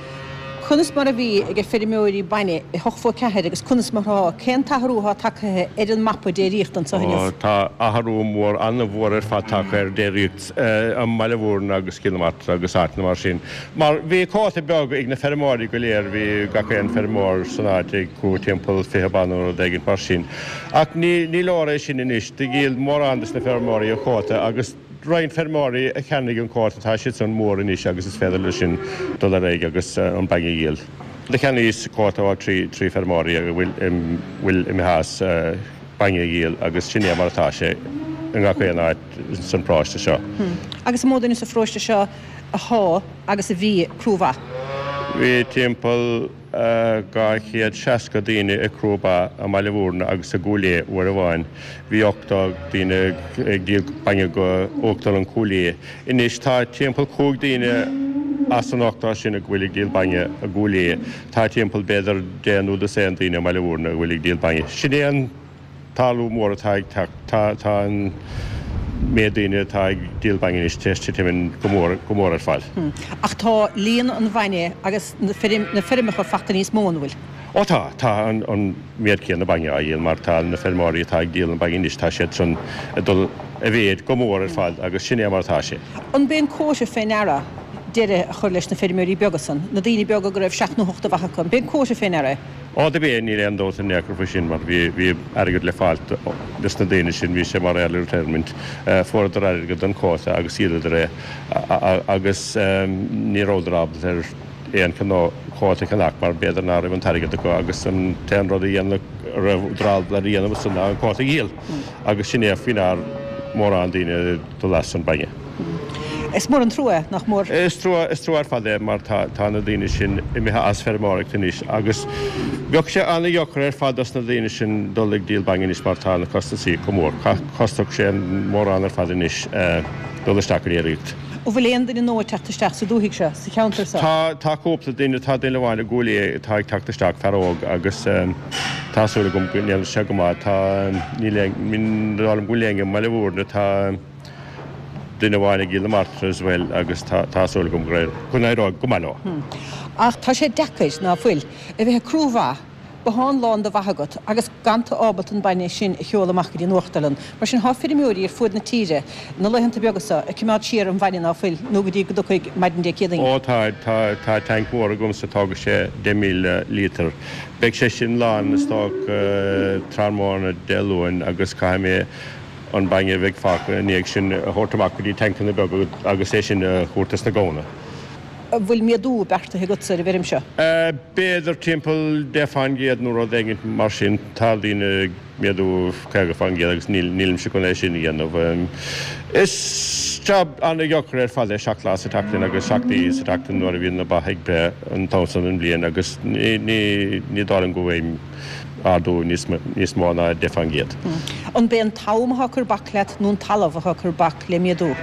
Speaker 1: conas mar a bhí ag feirmeoirí bainne i 84 agus conas mar atá, cén t-athrú atá tagtha ar an mapa déiríochta anseo inniu?
Speaker 3: Tá athrú mór, an-mhór ar fad tagtha ar déiríocht i mBaile Mhúirne agus Cill na Martra agus áiteanna mar sin. Mar bhí cuóta beag ag na feirmeoirí go léir, bhí gach aon feirmeoir san áit ag crú timpeall 20 ba nó rud éigin mar sin. Ach ní leor é sin anois, do dhíol mórán des na feirmeoirí a chuóta agus roinnt feirmeoirí a cheannaigh an cuóta, tá siad san mór anois agus is féidir leo sin dul ar aghaidh agus an bainne a dhíol. Do cheannaíos cuóta ó thrí feirmeoirí a bhfuil imithe as bainne a dhíol agus sin é mar atá sé i ngach aon áit san bparóiste seo.
Speaker 1: Agus an mó duine sa pharóiste seo athá agus a bhí ag crú ba?
Speaker 3: Bhí timpeall 260 daoine ag crú ba i mBaile Mhúirne agus i gCúil Aodha uair amháin. Bhí 80 daoine ag díol bainne go Uachtarlann Chúil Aodha. Anois tá timpeall 5 daoine as an 80 sin a bhfuil ag díol bainne i gCúil Aodha. Tá timpeall b'fhéidir deich nó dosaen daoine i mBaile Mhúirne a bhfuil ag díol bainne. Sin é an t-athrú mór atá ag teacht. Tá tá an méid daoine atá ag díol bainne anois tar éis titim go mór go mór ar fad.
Speaker 1: Ach tá líon an bhainne agus na na feirmeacha fachta níos mó, an bhfuil?
Speaker 3: Ó tá, tá an an méid céanna bainne á dhíol mar tá na feirmeoirí atá ag díol an bainne anois tá siad san ag dul i mhéid go mór ar fad agus sin é mar atá sé.
Speaker 1: An b'é an quota fé ndeara deireadh a chur leis na feirmeoirí beaga san, na daoine beaga go raibh seacht nó hocht de bha acu, an b'é an quota fé ndeara é?
Speaker 3: Ó do b'é, níl aon dabht in aon chor faoi sin mar bhí bhí airgead le fáilt dos na daoine sin, bhí sé mar early retirement, fuaireadar airgead don quota agus dhíoladar é agus ní rabhadar ábalta ar aon cineál quota a cheannach mar b'fhéidir ná raibh an t-airgead acu agus an t-aon rud a dhéanadh a rabhadar ábalta a dhéanamh ansan ná an quota a dhíol agus sin é faoi ndear mórán daoine dul as an bainne.
Speaker 1: Is mór an trua é, nach mór?
Speaker 3: Is trua, is trua ar fad é mar tá, tá na daoine sin imithe as feirmeoireacht anois agus bheadh sé an-dheacair ar fad dos na daoine sin dul ag díol bainne anois mar tá na costasaí chomh mór. Chosnódh sé mórán ar fad anois dul isteach go déiríocht.
Speaker 1: An bhfuil aon duine nua ag teacht isteach sa dúthaigh seo, sa cheantar seo?
Speaker 3: Tá, tá cúpla duine, tá duine amháin i gCúil Aodha atá ag teacht isteach, fear óg agus tá súil agam go ndéanfaidh sé go maith. Tá, níl aon, ní dóigh liom go bhfuil éinne i mBaile Mhúirne, tá duine amháin i gCill na Martra as well agus tá, tá súil agam go, go n-éireoidh go maith leo.
Speaker 1: Ach tá sé deacair, ná fuil, a bheith ag crú ba, bothán lán de bha agat agus gan tú ábalta an bainne sin a sheoladh amach go dtí an uachtarlann. Mar sin, thá feirmeoirí ar fuaid na tíre, na laethanta beaga so, ag coimeád siar an bhainne ná fuil, nó go dtí go dtiocfaidh maidin Dé Céadaoin.
Speaker 3: Ó tá, tá, tá tanc mór agamsa, tógfaidh sé 10,000 líotar. Beidh sé sin lán is dócha tráthnóna Dé Luain agus caithfidh mé an bainne a bheidh fágtha i ndiaidh sin a thabhairt amach go dtí tancanna beaga agus é sin a thabhairt dos na gamhna.
Speaker 1: An bhfuil méadú beartaithe agatsa ar an bhfeirm seo?
Speaker 3: B'fhéidir timpeall 10 fán gcéad nó rud éigin mar sin. Tá daoine ag méadú 50 fán gcéad agus nílimse chun é sin a dhéanamh. Is jab an-deacair ar fad é seacht lá sa tseachtain agus seacht oíche sa tseachtain nuair a bhíonn na ba ag breith an t-am san den bhliain agus ní dóigh liom go bhfaighim ardú níos mó ná 10 fán gcéad.
Speaker 1: An b'é an t-am atá ag cur bac leat nó an talamh atá ag cur bac le méadú?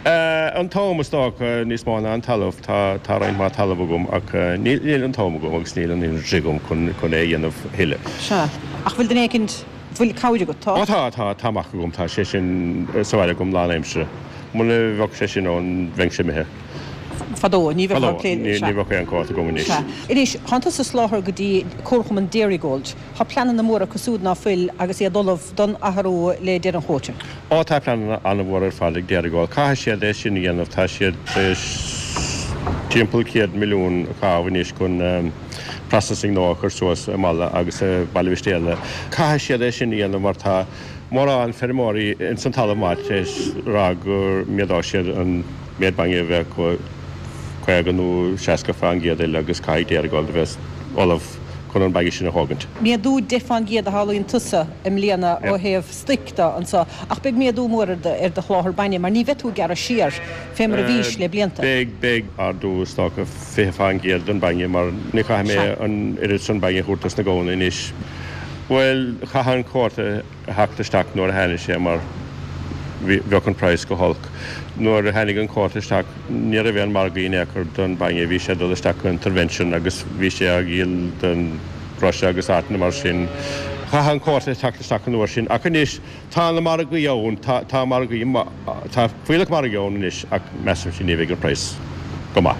Speaker 3: An t-am is dócha níos mó ná an talamh. Tá tá roinnt mhaith talaimh agam ach níl níl an t-am agam agus níl an energy agam chun chun é a dhéanamh a thuilleadh.
Speaker 1: Sea. Ach bhfuil duine éicint, bhfuil cabhair agat? Tá?
Speaker 3: Ó tá, tá, tá mac agam, tá sé sin sa bhaile agam lánaimseartha. Muna bheadh sé sin ann bheinnse imithe.
Speaker 1: Fadó, ní bheifeá ag plé,
Speaker 3: sea. Ní bheadh aon chóta agam anois.
Speaker 1: Sea. Anois, tánn tusa ag soláthar go dtí Comharchumann Dairygold. Tá pleananna móra acu súd ná fuil agus iad ullamh don athrú le deireadh an chóta.
Speaker 3: Ó tá pleananna an-mhór ar fad ag Dairygold. Caithfidh siad é sin a dhéanamh. Tá siad tar éis timpeall 100 milliún a chaitheamh anois chun processing nua a chur suas i Mala agus i Baile Mhistéala. Caithfidh siad é sin a dhéanamh mar tá mórán feirmeoirí ins an talamh maith tar éis rá go méadóidh siad an méid bainne a bheith acu 50 nó 60% eile agus caithfidh Dairygold a bheith ullamh chun an bainne sin a thógaint.
Speaker 1: Méadú 10% a shamhlaíonn tusa i mbliana ó thaobh stoic de anso ach beidh méadú mór ar do sholáthar bainne mar ní bheidh tú ag gearradh siar fé mar a bhís le blianta.
Speaker 3: Beidh, beidh ardú is dócha 20% don bainne mar ní chaithfidh mé an oiread san bainne a thabhairt dos na gamhna anois. Bhuel, chaithfeadh an cuóta a theacht isteach nuair a tháinig sé mar bheadh an praghas go holc. Nuair a tháinig an cuóta isteach ní raibh aon margaí in aon chor don bhainne, bhí sé ag dul isteach go intervention agus bhí sé á dhíol don Russia agus áiteanna mar sin. Chaithfeadh an cuóta a theacht isteach an uair sin ach anois tá na margaí ann, tá tá margaí, tá fuílleach margaí ann anois ach measaimse ní bheidh an praghas go maith.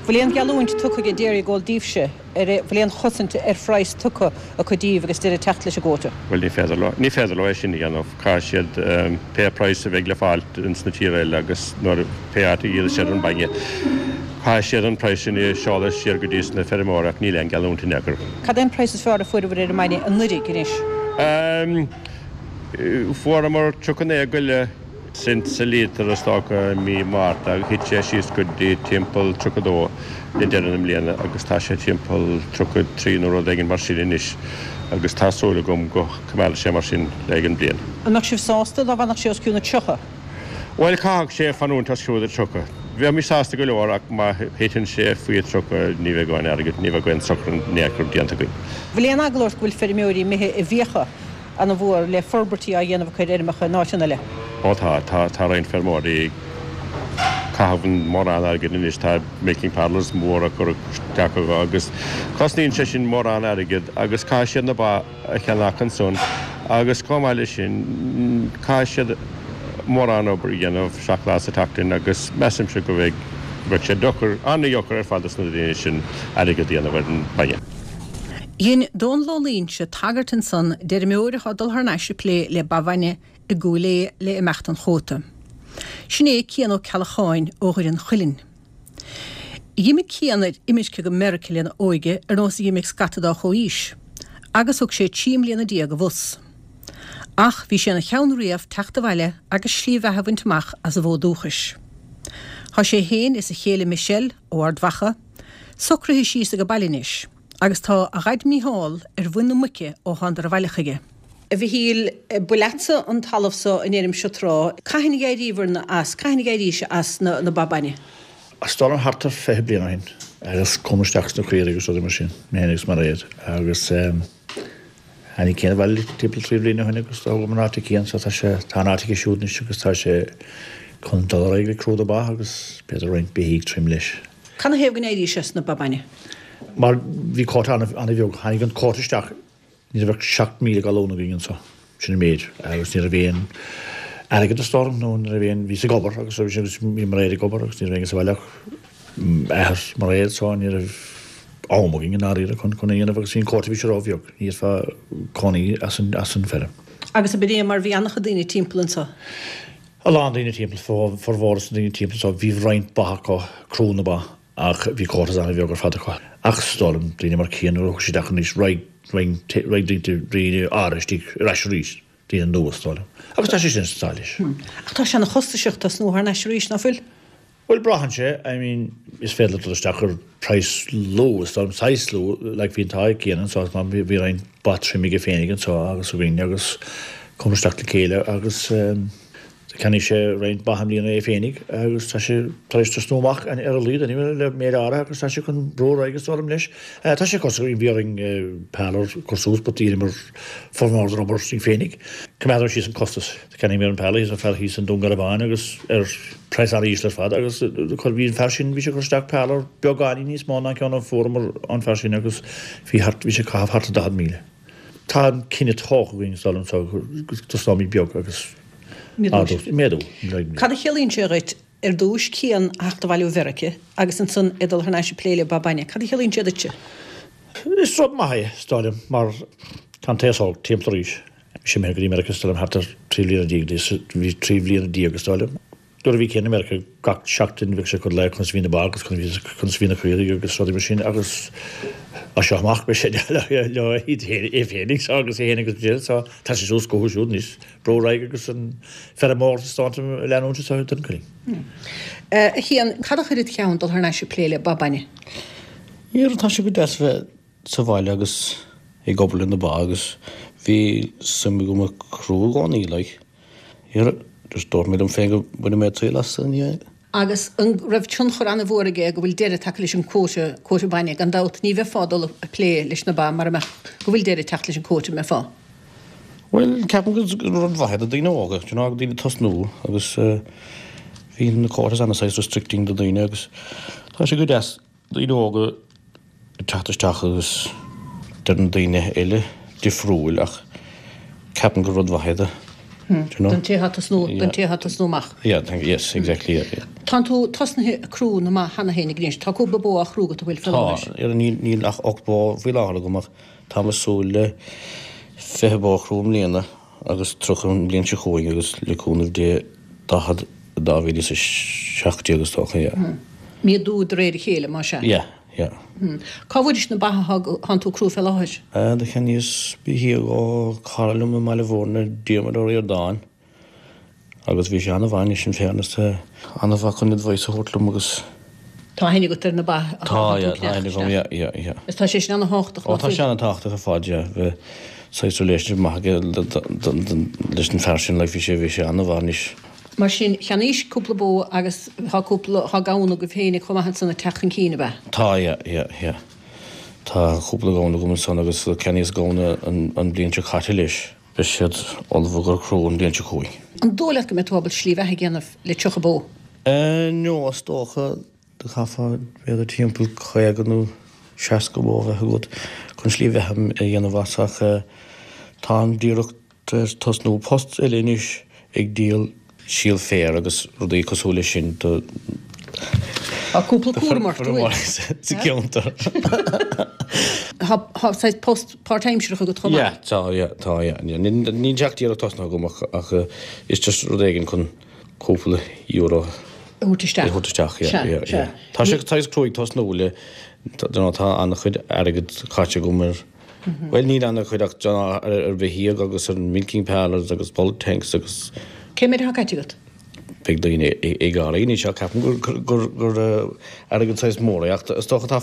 Speaker 1: Bhfuil aon gheallúint tugtha ag Dairygold daoibhse? An bhfuil aon chosaint ar phraghas tugtha acu daoibh agus deireadh ag teacht leis an gcuóta?
Speaker 3: Bhuel, ní féidir leo, ní féidir leo é sin a dhéanamh. Caithfidh siad pé praghas a bheidh le fáil ins na tíortha eile agus nuair, pé áit a dhíolfaidh siad an bainne, caithfidh siad an praghas sin a sheoladh siar go dtí sna feirmeoirí ach níl aon gheallúint in aon chor.
Speaker 1: Cad é an praghas is fearr a fuaireabhair ar an mbainne anuraidh anois?
Speaker 3: Fuaireamar 39 go leith cent sa líotar is dócha i mí Márta agus thit sé síos go dtí timpeall 32 le deireadh na bliana agus tá sé timpeall 33 nó rud éigin mar sin anois agus tá súil agam go coimeádfaidh sé mar sin le haghaidh an bhliain.
Speaker 1: An mbeadh sibh sásta dá bhfanfadh sé os cionn 30?
Speaker 3: Bhuel, caithfidh sé fanúint os cionn 30. Bheimis sásta go leor ach má thiteann sé faoi 30 ní bheidh aon airgead, ní bheidh aon sochar in aon chor déanta againn.
Speaker 1: Bhfuil aon eagla ort go bhfuil feirmeoirí imithe i bhfiacha ana-mhór le forbairtí á dhéanamh acu ar fheirmeacha in áiteanna eile.
Speaker 3: Ó tá, tá, tá roinnt feirmeoirí ag caitheamh mórán airgid anois, tá milking parlours móra curtha isteach acu agus cosnaíonn sé sin mórán airgid agus caithfidh siad na ba a cheannach ansan agus chomh maith leis sin caithfidh siad mórán obair a dhéanamh seacht lá sa tseachtain agus measaimse go bheidh, bheadh sé deacair, an-deacair ar fad dos na daoine sin airgead a dhéanamh ar an mbainne.
Speaker 1: Dhein Dónal Ó Loingsigh tagairt ansan d'fheirmeoir atá ag dul thar n-ais ag plé le ba bhainne i gCúil Aodha le imeacht an chuóta. Sin é Cian Ó Ceallacháin ó Dhoire an Chuilinn. Dh'imigh Cian ar imirce go Meirice lena óige ar nós a dh'imigh scata dá chomhaois, agus thug sé 13 mbliana i bhfus. Ach bhí sé ina cheann riamh teacht abhaile agus slí bheatha a bhaint amach as a bhfód dúchais. Tá sé féin is a chéile Michelle, ó Ard Mhacha, socraithe síos age baile anois agus tá a dhaid Mícheál ar mhuin na muice ó thánadar abhaile chuige. A Mhichíl, ba leatsa an talamh so an fheirm seo tráth. Cathain a d'éiríobhair as, cathain a d'éirís as na ba bainne?
Speaker 5: Is dóigh liom thart ar 20 bliain ó shin agus chuamar isteach sna caoirigh agus rudaí mar sin, mé féin agus Mairéad agus tháinig Cian abhaile timpeall trí bliana ó shin agus d'fhágamar an áit ag Cian so tá sé, tá an áit aige siúd anois agus tá sé chun dul ar aghaidh le crú na ba agus b'fhéidir roinnt beithígh trim leis.
Speaker 1: Canathaobh go n-éirís as na ba bainne?
Speaker 5: Mar bhí cuóta an-bheag. Tháinig an cuóta isteach, ní raibh ach 7,000 galún againn anso, sin an méid, agus ní raibh aon airgead is dóigh liom, nó ní raibh aon, bhíos ag obair agus agus bhí Mairéad ag obair agus ní raibh éinne sa bhaile ach athair Mairéad so ní raibh am againn i ndáiríre chun chun é a dhéanamh agus bhí an cuóta bhí sé róbheag, ní fhéadfá cónaí as an as an feirm.
Speaker 1: Agus ab in é mar bhí an-chuid daoine timpeall anso?
Speaker 5: A lán daoine timpeall, formhór na ndaoine timpeall so bhí roinnt ba acu, crú na ba, ach bhí cuótas an-bheag ar fad acu. Ach is dóigh liom, daoine mar Cian nuair a chuaigh siad isteach anois, raghaidh, raghaidh daoine, daoine áirithe istigh ar ais arís, daoine nua is dóigh liom. Agus tá sé sin sa leis.
Speaker 1: Ach tá sé ana chostasach tosnú thar n-ais arís, ná fuil?
Speaker 5: Bhuel, braitheann sé, I mean, is féidir leat dul isteach ar praghas lú, is dóigh liom, saghas lú, like bhí an t-ádh ag Cian anso, bhí roinnt ba trim aige féinig anso agus againn agus chuamar isteach le chéile agus. Cheannaigh sé roinnt ba i mbliana é féinig agus tá sé tar éis tosnú amach ar a laghad anyway le méid áirithe agus tá sé chun brú ar aghaidh is dóigh liom leis. Tá sé cosúil bhí orainn parlour a chur suas but dheineamar formhór den obair sinn féinig. Coimeádadh síos an costas. Cheannaíomar an parlour thíos ón fear thíos i nDún Garbhán agus ar praghas an-íseal ar fad agus bhí an fear sin bhí sé ag cur isteach parlour beagáinín níos mó ná an ceann a fuaireamar ón fear sin agus bhí thart bhí sé ag caitheamh thart ar 40,000. Tá an cinneadh tógtha againn is dóigh liom so go dtosnóimid beag agus
Speaker 1: ardú,
Speaker 5: méadú.
Speaker 1: Cad a chiallaíonn sé dhuit, ar dtúis, Cian a theacht abhaile ó Mheirice agus ansan é dul thar n-ais ag plé le ba bainne, cad a chiallaíonn sé duitse?
Speaker 5: Is rud maith é, is dóigh liom, mar tá an t-aos óg timpeall arís. Bhí sé imithe go dtí Meiriceá is dóigh liom thart ar 13 bhliana, bhí 13 bhliana is dóigh liom. Nuair a bhí Cian i Meiriceá gach seachtain bheadh sé ag cur glaoch conas a bhí na ba agus conas a bhí na caoirigh agus rudaí mar sin agus as seo amach beidh sé leo é féinig so agus é féin agus Jill so tá sé suas chucu siúd anois brú ar aghaidh agus an feirmeoireacht is dóigh liom a leanúint anseo i Dún Chaoin.
Speaker 1: A Chian, cad a chuir id cheann dul thar n-ais ag plé le ba bainne?
Speaker 8: Níor, tá sé go deas bheith sa bhaile agus ag obair le na ba agus bhí suim agam i crú i gcónaí like. Here, just dúirt mé liom féin go mbainfidh mé triail as i ndiaidh.
Speaker 1: Agus an raibh tionchar an-mhór aige go bhfuil deireadh tagtha leis an quota, quota bainne? Gan dabht, ní bheifeá ag dul ag plé leis na ba mara mbeadh go bhfuil deireadh ag teacht leis an quota, an mbeifeá?
Speaker 8: Bhuel, ceapaim gur rud mhaith é do daoine óga, do you know, daoine tosnú agus bhí na quotas ana-saghas restricting do daoine agus tá sé go deas daoine óga ag teacht isteach agus deir na daoine eile difriúil ach ceapaim gur rud mhaith é do, do you know.
Speaker 1: Don té atá tosnú, don té atá tosnú amach.
Speaker 8: Yeah, thank you, yes, exactly, yeah, yeah.
Speaker 1: Tánn tú tosnaithe ag crú na mba cheana féin anois, tá cúpla bó á chrú agat an bhfuil faoi láthair?
Speaker 8: Tá, níl, níl ach 8 bó faoi láthair agam ach táim ag súil le 20 bó a chrú i mbliana. agus 30 an bhliain seo chugainn agus le cúnamh Dé 40 i 2017 is dócha, yeah.
Speaker 1: Méadú de réir a chéile, más ea?
Speaker 8: Yeah, yeah.
Speaker 1: Cá bhfuairis na ba atánn tú ag crú fé láthair?
Speaker 8: Do cheannaíos beithígh ó cara liom i mBaile Bhúirne, Diarmuid Ó Ríordáin, Agus bhí sé an-mhaith anois in fairness tá an-mhaith chun advice a thabhairt liom agus.
Speaker 1: Tá aithne agat ar na ba atá
Speaker 8: Tá, yeah,
Speaker 1: tú
Speaker 8: tá aithne agam, yeah, yeah, yeah.
Speaker 1: Is tá sé sin an-thábhachtach
Speaker 8: Ó tá sé an-tábhachtach ar fad, yeah, bheith saghas relationship maith aige leis an fear sin, like bhí sé, bhí sé an-mhaith anois.
Speaker 1: Mar sin, cheannaís cúpla bó agus tá cúpla, tá gamhna agaibh féinig chomh maith ansan ag teacht chun cinn, ab ea?
Speaker 8: Tá, yeah, yeah, yeah. Tá cúpla gamhna agam ansan agus cheannaíos gamhna an bhliain seo caite leis. Beidh siad ullamh ag crú an bhliain seo chugainn.
Speaker 1: An dóigh leat go mbeidh tú ábalta slí bheatha a dhéanamh le 30 bó?
Speaker 8: No, is dócha. Do chaithfeá b'fhéidir timpeall 50 nó 60 bó a bheith agat chun slí bheatha a dhéanamh as ach táim díreach tar éis tosnú post eile anois ag díol síol féir agus rudaí cosúil leis sin do
Speaker 1: Tá cúpla cúram ort, an bhfuil?
Speaker 8: sa gceantar.
Speaker 1: Tá saghas post páirtaimsearach agat chomh maith?
Speaker 8: Yeah, tá, yeah, tá, yeah. Níl sé ach díreach tosnaithe agam ach ach is just rud éigin chun cúpla euro
Speaker 1: a thabhairt isteach.
Speaker 8: A thabhairt isteach, yeah, yeah, yeah. Tá sé saghas cruaidh tosnú le, you know, tá an-chuid airgead caite agam ar Bhuel, níl an-chuid ach ar bheithígh agus ar milking parlours agus bulk tanks agus.
Speaker 1: Cé méid atá caite agat?
Speaker 8: Beidh daoine ag gáirí anois ach ceapaim gur airgead saghas mór é ach is dócha tá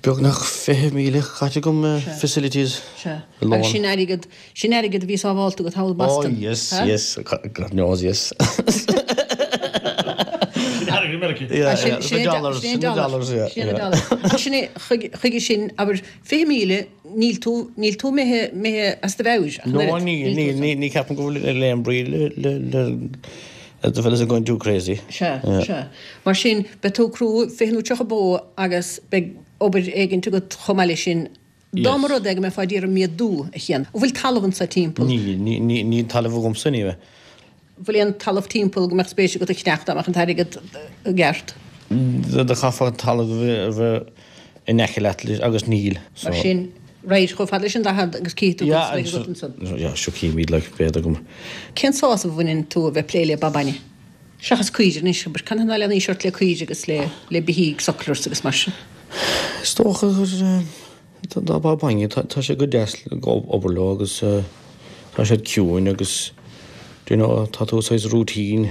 Speaker 8: beagnach 20,000 caite agam facilities.
Speaker 1: Sea. Agus sin airgead Sin airgead a bhí sábhálta agat thall i
Speaker 8: mBoston. Oh yes, yes, God knows, yes.
Speaker 5: Sin airgead i Meiriceá.
Speaker 8: Yeah, yeah, the dollars,
Speaker 1: sin na dollars, yeah. Sin na dollars. Ach sin é, chuige sin, abair, 20,000, níl tú, níl tú imithe, imithe as do mheabhair ach an
Speaker 8: No,
Speaker 1: oiread.
Speaker 8: níl, níl, ní, ní ceapaim go bhfuil aon brí le, le, le, the fellas are going too crazy.
Speaker 1: Sea, sea. Mar sin, beidh tú ag crú 20 nó 30 bó agus beidh obair éigint agat chomh maith leis sin Dá mba rud é go mbeifeá d'iarraidh méadú, a Chian, an bhfuil talamh anso timpeall?
Speaker 8: Níl, níl talamh agamsa anyway.
Speaker 1: An bhfuil aon talamh timpeall go mbeadh spéis agat a cheannach dá mbeadh an t-airgead i gceart?
Speaker 8: Do chaithfeá talamh a bheith in aice leat agus níl,
Speaker 1: so. Mar sin, right, chomh fada leis an 40 agus cífidh tú conas a bheidh agat ansan.
Speaker 8: Yeah, sure cífimid like, b'fhéidir go.
Speaker 1: Cén sásamh a bhaineann tú a bheith ag plé le ba bainne? Seachas caoirigh anois, abair, canathaobh ná lean aois ort le caoirigh agus le le beithígh, sucklers agus mar sin?
Speaker 8: Is dócha gur na ba bainne, tá sé go deas obair leo agus tá siad ciúin agus do you know tá tú saghas routine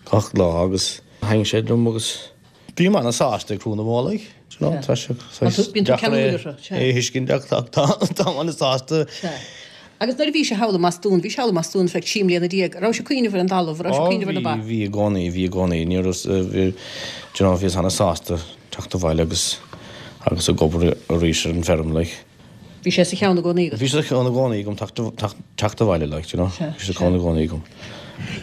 Speaker 8: gach lá agus thaitníonn sé liom agus bím ana-sásta ag crú na mbó like, do you know, tá sé saghas deacair é a thuiscint ach táim ana-sásta.
Speaker 1: Agus nuair a bhí sé thall i mBostún, bhí sé thall i mBostún ar feadh 13 mbliana, an raibh sé ag cuimhneamh ar an dtalamh, an raibh sé ag cuimhneamh ar na ba?
Speaker 8: Bhí, bhí i gcónaí, bhí i gcónaí. Ní raibh, bhí, do you know, bhíos ana-sásta teacht abhaile agus, agus ag obair arís ar an bhfeirm, like.
Speaker 1: Bhí sé sa cheann i gcónaí agat?
Speaker 8: Bhí sé sa cheann i gcónaí agam teacht, teacht, teacht abhaile, like, do you know. Bhí sé sa cheann i gcónaí agam.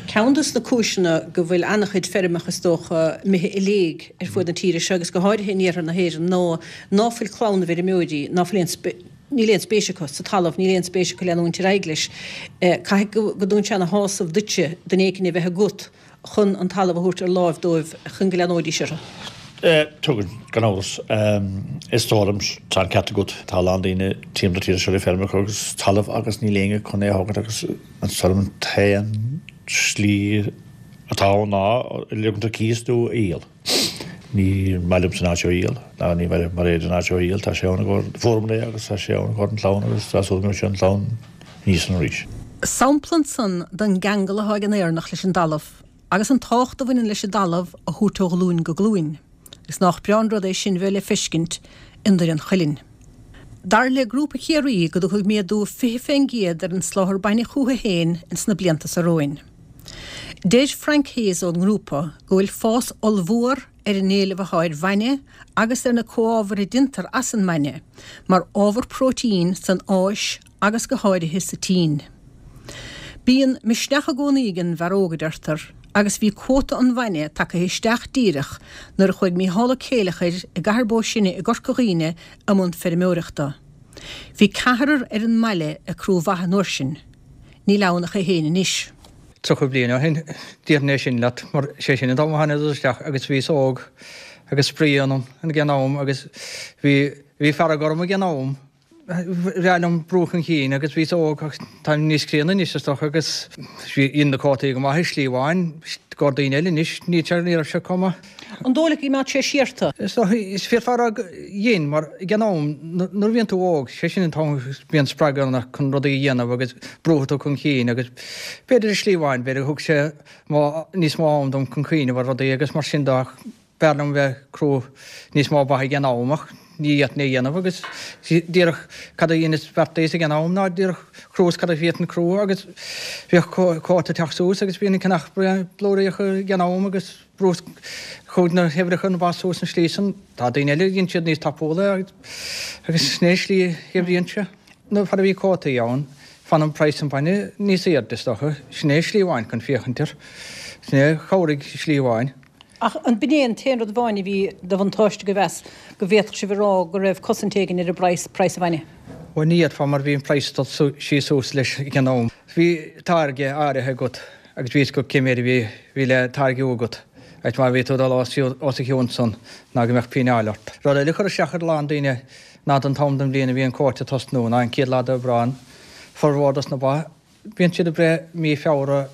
Speaker 1: Ceann dos na cúiseanna go bhfuil an-chuid feirmeacha is dócha imithe i léig ar fuaid na tíre seo agus go háirithe in iarthar na hÉireann ná ná fuil clann na bhfeirmeoirí, ná fuil aon, níl aon spéis acu sa talamh, níl aon spéis acu leanúint ar aghaidh leis. Caithfidh go dtugann sé ana shásamh duitse duine éicint a bheith agat chun an talamh a thabhairt ar láimh dóibh chun go leanóidís orthu.
Speaker 5: Tugann, gan amhras. Is dóigh liom, tá an ceart agat, tá a lán daoine timpeall na tíre seo le feirmeacha agus talamh agus níl éinne chun é a thógaint agus is dóigh liom an t-aon slí atá ann ná ligean ar cíos nó a dhíol. Ní maith liomsa an áit seo a dhíol, ná ní maith le Mairéad an áit seo a dhíol, tá sé ann i gcomhair, fuaireamar é agus tá sé ann i gcomhair an chlann agus tá súil go mbeidh sé an chlann aníos ann arís.
Speaker 1: Sampla ansan den gceangal atá ag an Éireannach leis an dtalamh agus an tábhacht a bhaineann leis an dtalamh a thabhairt ó ghlúin go glúin. Agus nách breá an rud é sin bheith le feiscint i nDoire an Chuilinn. Dar le Grúpa Chiarraí go dtiocfaidh méadú 20% ar an soláthar bainne chucu féin ins na blianta so romhainn. Deir Frank Hayes ón ngrúpa go bhfuil fás ollmhór ar an éileamh atá ar bhainne agus ar na comhábhair a déantar as an mbainne mar ábhar próitín san Áis agus go háirithe sa tSín. Bíonn misneach i gcónaí ag an bhfear óg, a deirtear, agus bhí cuóta an bhainne tagtha isteach díreach nuair a chuaigh Mícheál Ó Céileachair i gCathair Bó Sine i gCorca Dhuibhne i mbun feirmeoireachta. Bhí ceathrar ar an mbaile ag crú ba an uair sin. Níl ann ach é féin anois.
Speaker 7: 30 bliain ó shin, déarfainn é sin leat, mar sé sin an t-am a thánadar isteach agus bhíos óg agus spraoi ionam ag an am agus bhí, bhí fearg orm ag an am. Bhreá liom brú chun cinn agus bhíos óg ach táim níos críonna anois is dócha agus dhein na cuótaí go maith i slí amháin, i gcomhair daoine eile anois níl sé, ní raibh sé chomh maith.
Speaker 1: An dóigh leat go gcoimeád sé siar tú?
Speaker 7: Is dócha, is féadfá a rá go dhein mar ag an am nuair a bhíonn tú óg, sé sin an t-am a bhíonn spreagadh ionat chun rudaí a dhéanamh agus brúfaidh tú chun cinn agus b'fhéidir i slí amháin, b'fhéidir thug sé níos mó am dom chun cuimhneamh ar rudaí agus mar sin de ach B'fhearr liom bheith ag crú níos mó ba ag an am ach ní fhéadfainn é a dhéanamh agus díreach cad a dheineas beartaíos ag an am ná díreach chrúas cad a bhféadfainn crú agus bhíodh cuóta ag teacht suas agus bhínn ag ceannach blúiríocha ag an am agus brús chuaigh na huimhreacha na ba suas an slí san. Tá daoine eile dhein siad níos tapúla agus sin é an slí a oibríonn sé. Nuair a bhí cuótaí ann fanann praghas an bhainne níos airde is dócha. Sin é slí amháin chun féachaint air. Sin é a chabhraigh slí amháin.
Speaker 1: Ach an b'in é an t-aon rud amháin a bhí de bhuntáiste agaibh as, go bhféadfadh sibh a rá go raibh cosaint éigin ar an bpraghas, praghas an bhainne?
Speaker 7: Bhuel, ní fhéadfá mar bhí an praghas ag dul síos suas leis ag an am. Bhí táirge áirithe agat agus bhí fhios agat cé méid a bhí, bhí le táirgiú agat agus má bhí tú ag dul os a chionn san ná go mbeadh fíneáil ort. Rud eile a chuir isteach ar a lán daoine ná don t-am den bhliain a bhí an cuóta ag tosnú ná an chéad lá d'Aibreán, formhór dos na ba, Bíonn siad ag breith mí Feabhra,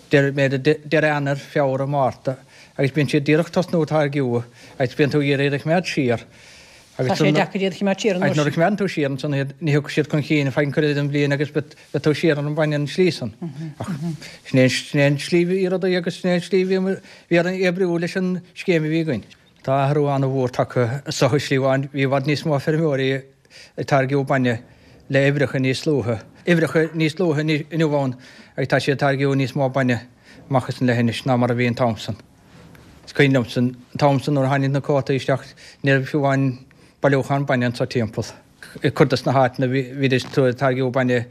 Speaker 7: deireadh, deireadh Eanáir, Feabhra, Márta agus bíonn siad díreach tosnú ag táirgiú agus bíonn tú ag iarraidh iad a choimeád siar
Speaker 1: agus Tá sé deacair iad a choimeád siar an
Speaker 7: uair sin. Nuair a choimeádann tú siar ansan iad ní thiocfaidh siad chun cinn feadh an chuid eile den bhliain agus beidh tú siar ar an bhainne an slí san. Ach sin é sin é an slí a bhí rudaí agus sin é an slí a bhí bhí orainn oibriú leis an scéim a bhí againn. Tá athrú an-mhór tagtha is dócha i slí amháin. Bhí i bhfad níos mó feirmeoirí ag táirgiú bainne le huimhreacha níos luaithe, uimhreacha níos luaithe inniu ann agus tá siad ag táirgiú níos mó bainne amach as an leithinis ná mar a bhí an t-am san. Is cuimhin liomsa an t-am san nuair a tháinig na cuótaí isteach ní raibh fiú amháin bailiúchán bainne anso timpeall. I gcuid dos na háiteanna bhídís ag táirgiú bainne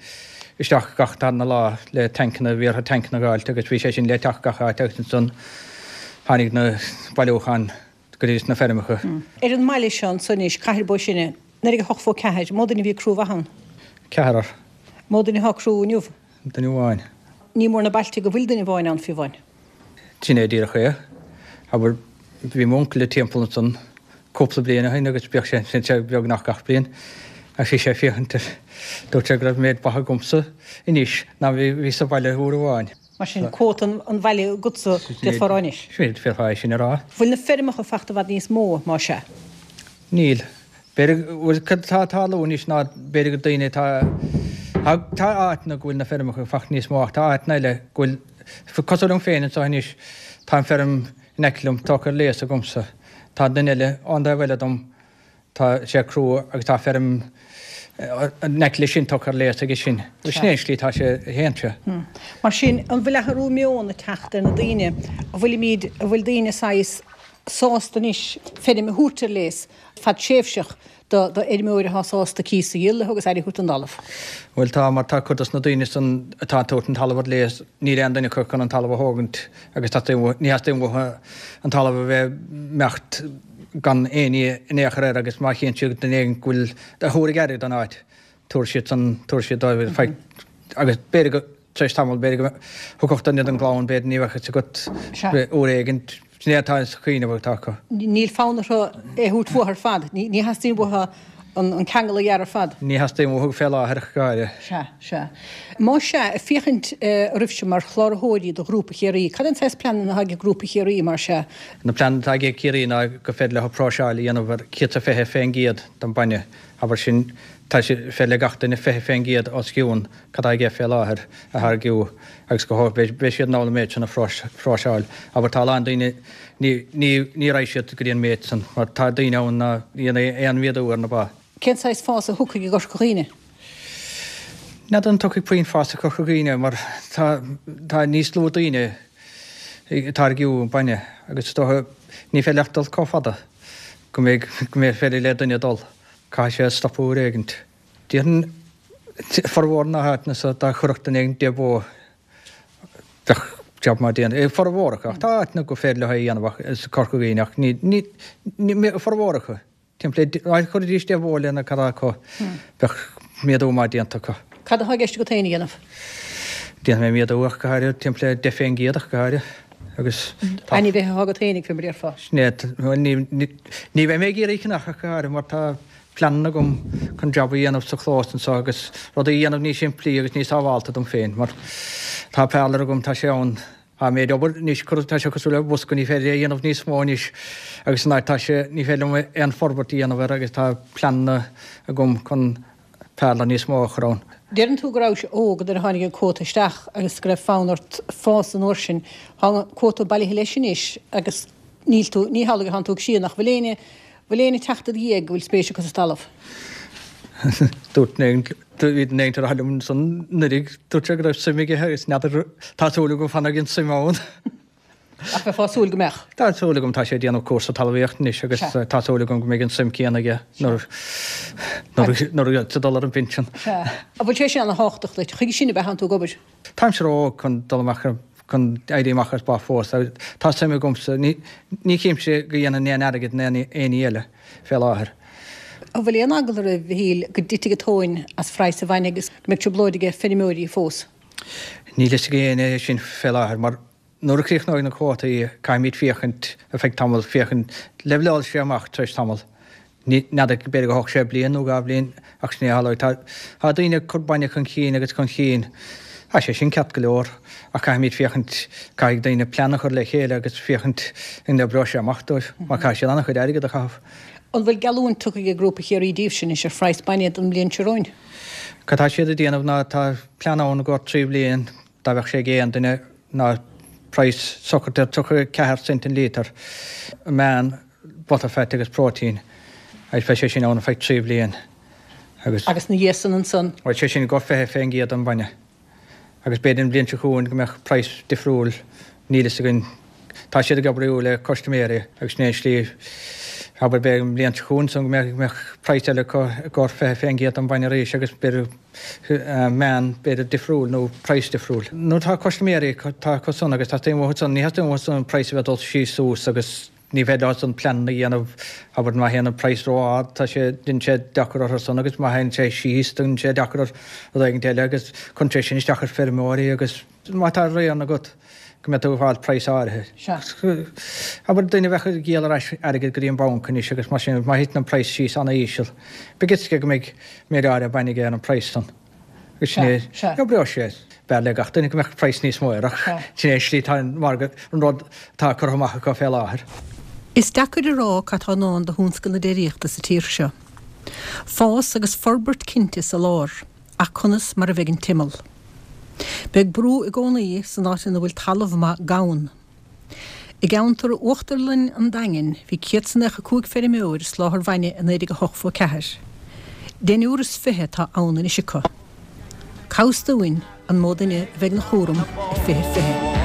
Speaker 7: isteach gach darna lá le tancanna, bhí orthu tancanna a dh'fháilt agus bhí sé sin le teacht gach áit agus ansan tháinig na bailiúcháin go dtí na feirmeacha.
Speaker 1: Ar an mbaile seo anso anois, Cathair Bó Sine, 1908 4, mó duine a bhí ag crú ba ann?
Speaker 7: Ceathrar.
Speaker 1: Mó duine atá ag crú inniu?
Speaker 7: Duine amháin.
Speaker 1: Ní mór na bailte go bhfuil duine amháin ann fiú amháin.
Speaker 7: Sin é díreach é. Abair, bhí m'uncail timpeall ansan cúpla bliain ó shin agus bhíodh sé ansin sé beagnach gach bliain agus bhí sé ag féachaint air. Dúirt sé go raibh méid ba agamsa anois ná bhí bhí sa bhaile uair amháin.
Speaker 1: Mar sin, cuóta an bhaile agatsa, d'fhéadfá a rá anois.
Speaker 7: Sin é, d'fhéadfá é sin a rá.
Speaker 1: Bhfuil na feirmeacha fachta i bhfad níos mó, más ea?
Speaker 7: Níl. B'fhéidir, bhuel, cad atá ag tarlú anois ná b'fhéidir go daoine atá, tá áiteanna go bhfuil na feirmeacha fachta níos mó ach tá áiteanna eile go bhfuil, cosúil liom féin anseo anois, tá an feirm in aice liom tógtha ar léas agamsa, tá duine eile ón dtaobh eile dom, tá sé ag crú agus tá feirm. In aice leis sin tugtha ar léas aige sin. Agus sin é an slí atá sé a théann sé.
Speaker 1: Mar sin, an bhfuil athrú meoin ag teacht ar na daoine? An bhfuilimid, an bhfuil daoine saghas sásta anois feirm a thabhairt ar léas fadtréimhseach do fheirmeoir atá sásta cíos a dhíol leo agus aire a thabhairt don dtalamh?
Speaker 7: Bhuel tá, mar tá cuid dos na daoine san atá ag tabhairt an talamh ar léas, níl aon duine acu chun an talamh a thógaint agus teastaíonn uathu, ní theastaíonn uathu an talamh a bheith imeacht gan éinne in aon chor air agus má chíonn siad duine éigin go bhfuil a thabharfaidh aire don áit, tabharfaidh siad san, tabharfaidh siad dóibh feadh, agus b'fhéidir go, tar éis tamaill, b'fhéidir go thiocfadh duine den gclann, b'fhéidir ní bheadh fhios agat uair éigin, sin é atá sa chuimhneamh atá acu.
Speaker 1: Níl fonn orthu é a thabhairt uathu ar fad, ní theastaíonn uathu an ceangal a ghearradh ar fad.
Speaker 7: Ní theastaíonn uathu fé láthair ach go háirithe.
Speaker 1: Sea, sea. Más ea, ag féachaint oraibhse mar chláraitheoirí do Ghrúpa Chiarraí, cad é an saghas pleananna atá ag Grúpa Chiarraí, mar sea?
Speaker 7: Na pleananna atá ag Ciarraí ná gur féidir leo próiseáil a dhéanamh ar 120% den bainne, abair sin, tá sé, féidir le gach duine 20% os cionn cad tá aige fé láthair a tháirgiú agus go beidh siad in ann an méid sin a phróiseáil. Abair tá a lán daoine, ní, ní, ní raghaidh siad go dtí an méid san mar tá daoine ann ná dhéanfaidh aon mhéadú ar na ba.
Speaker 1: Cén saghas fás a thiocfaidh i gCorca Dhuibhne?
Speaker 7: N'fheadar an dtiocfaidh puinn fás i gCorca Dhuibhne mar tá, tá níos lú daoine ag táirgiú bainne agus is dócha ní féidir leat dul chomh fada go mbeidh, go mbeidh féidir le duine dul. Caithfidh sé stopadh uair éigint. Déarfainn formhór na háiteanna so dá chuirfeadh duine éigin 10 bó bheadh jab maith déanta. Formhór acu ach tá áiteanna gur féidir leo é a dhéanamh ach is Corca Dhuibhne ach ní, ní, ní, formhór acu. Timpeall le, dá gcuirfidís 10 bhó lena cad acu bheadh méadú maith déanta acu.
Speaker 1: Cad atá i gceist agat féin a dhéanamh?
Speaker 7: Déanfaidh mé méadú ach go háirithe, timpeall le 10 fén gcéad ach go háirithe agus
Speaker 1: tá. Ainmhithe atá agat féinig fé mar a déarfá.
Speaker 7: Sin é, bhuel ní, ní, ní bheidh mé ag iarraidh ceannach ach go háirithe mar tá pleananna agam chun jab a dhéanamh sa chlós anseo agus rudaí a dhéanamh níos simplí agus níos sábhálta dom féin mar tá parlour agam, tá sé ann, tá méid obair anois, tá sé cosúil le bosca, ní féidir é a dhéanamh níos mó anois agus san áit tá sé, ní féidir liom aon forbairt a dhéanamh air agus tá pleananna agam chun parlour níos mó a chur ann.
Speaker 1: Deireann tú go rabhais óg nuair a tháinig an cuóta isteach agus go raibh fonn ort fás an uair sin. Tá an cuóta bailithe leis anois agus níl tú, ní hamhlaidh atánn tú ag síneadh. Nach bhfuil éinne, bhfuil éinne ag teacht i do dhiaidh go bhfuil spéis acu sa talamh?
Speaker 7: Dúirt duine éigin, bhí duine éigin ag rá liom ansan anuraidh, dúirt sé go raibh suim aige agus n'fheadar, tá súil agam go bhfanfaidh an suim ann.
Speaker 1: Ach bheifeá ag súil go mbeadh.
Speaker 7: Tá súil agam, tá sé ag déanamh cúrsa talmhaíochta anois agus tá súil agam go mbeidh an suim céanna aige nuair nuair a dul ar an bpinsean.
Speaker 1: Sea. An bhfuil sé sin ana-thábhachtach duit? Chuige sin ab ea tánn tú ag obair?
Speaker 7: Táimse ró-óg chun dul amach chun éirí amach as ba fós. Tá suim agamsa. Ní ní chímse go dhéanfainn aon airgead in aon aon ní eile fé láthair.
Speaker 1: An bhfuil aon eagla oraibh, a Mhichíl, go dtitfidh an tóin as phraghas an bhainne agus go mbeidh trioblóid aige feirmeoirí fós?
Speaker 7: Níl fhios ag éinne é sin fé láthair mar Nuair a chríochnóidh na cuótaí, caithfimid féachaint ar feadh tamaill, féachaint, leibhleálfaidh sé amach tar éis tamaill. Ní, n'fheadar, b'fhéidir go dtógfaidh sé bliain nó 2 bhliain ach sin é a tharlóidh. Tá, tá daoine ag cur bainne chun cinn agus chun cinn. Tá sé sin ceart go leor ach caithfimid féachaint, caithfidh daoine plean a chur le chéile agus féachaint an oibreoidh sé amach dóibh mar caithfidh siad an-chuid airgead a chaitheamh.
Speaker 1: An bhfuil geallúint tugtha ag Grúpa Chiarraí daoibhse anois ar phraghas bainne don mbliain seo romhainn?
Speaker 7: Cad tá siad ag déanamh ná tá plean ann i gcomhair 3 bhliain, Dá mbeadh sé ag aon duine ná praghas socraithe ar 34 cent an líotar, meán butterfat agus próitéin, agus beidh sé sin ann ar feadh 3 bhliain
Speaker 1: agus. Agus na dhiaidh san ansan?
Speaker 7: Bhuel, sé sin go 20% den bhainne. Agus b'fhéidir an bhliain seo chugainn go mbeadh praghas difriúil, níl fhios againn. Tá siad ag oibriú le custaiméirí agus sin é an slí, abair b'fhéidir an bhliain seo chugainn san go mbeadh praghas eile acu i gcomhair 20% den bhainne arís agus b'fhéidir meán b'fhéidir difriúil nó praghas difriúil. Nuair atá custaiméirí tá acu san agus teastaíonn uathu san, ní theastaíonn uathu san an praghas a bheith ag dul síos suas agus ní féidir leo san pleananna a dhéanamh, abair má théann an praghas ró-ard tá sé, déanann sé deacair orthu san agus má théann sé síos déanann sé deacair ar rud éigin eile agus cuireann sé sin isteach ar feirmeoirí agus má tá rian agat go mbeidh tú ag fáil praghas áirithe. Abair duine a bheadh ag díol ar ais airgead go dtí an banc anois agus mar sin má thiteann an praghas síos ana-íseal, beidh fhios aige go mbeidh méid áirithe bainne aige ar an praghas san. Agus sin é, oibreoidh sé. B'fhearr le gach duine go mbeadh praghas níos mó air ach sin é an slí atá an margadh, an rud atá curtha amach acu fé láthair.
Speaker 1: Is deacair a rá cad tá i ndán do thionscal na déiríochta sa tír seo. Fás agus forbairt cinnte sa lár. Ach conas mar a bheidh an t-imeall? Beidh brú i gcónaí san áit ina bhfuil talamh maith gann. I gceantar Uachtarlann an Daingin bhí 195 feirmeoir ag soláthar bhainne i 1984. Deichniúr is 20 atá ann anois acu. Cá bhfios dúinn an mó duine a bheidh ina chúram i 2020?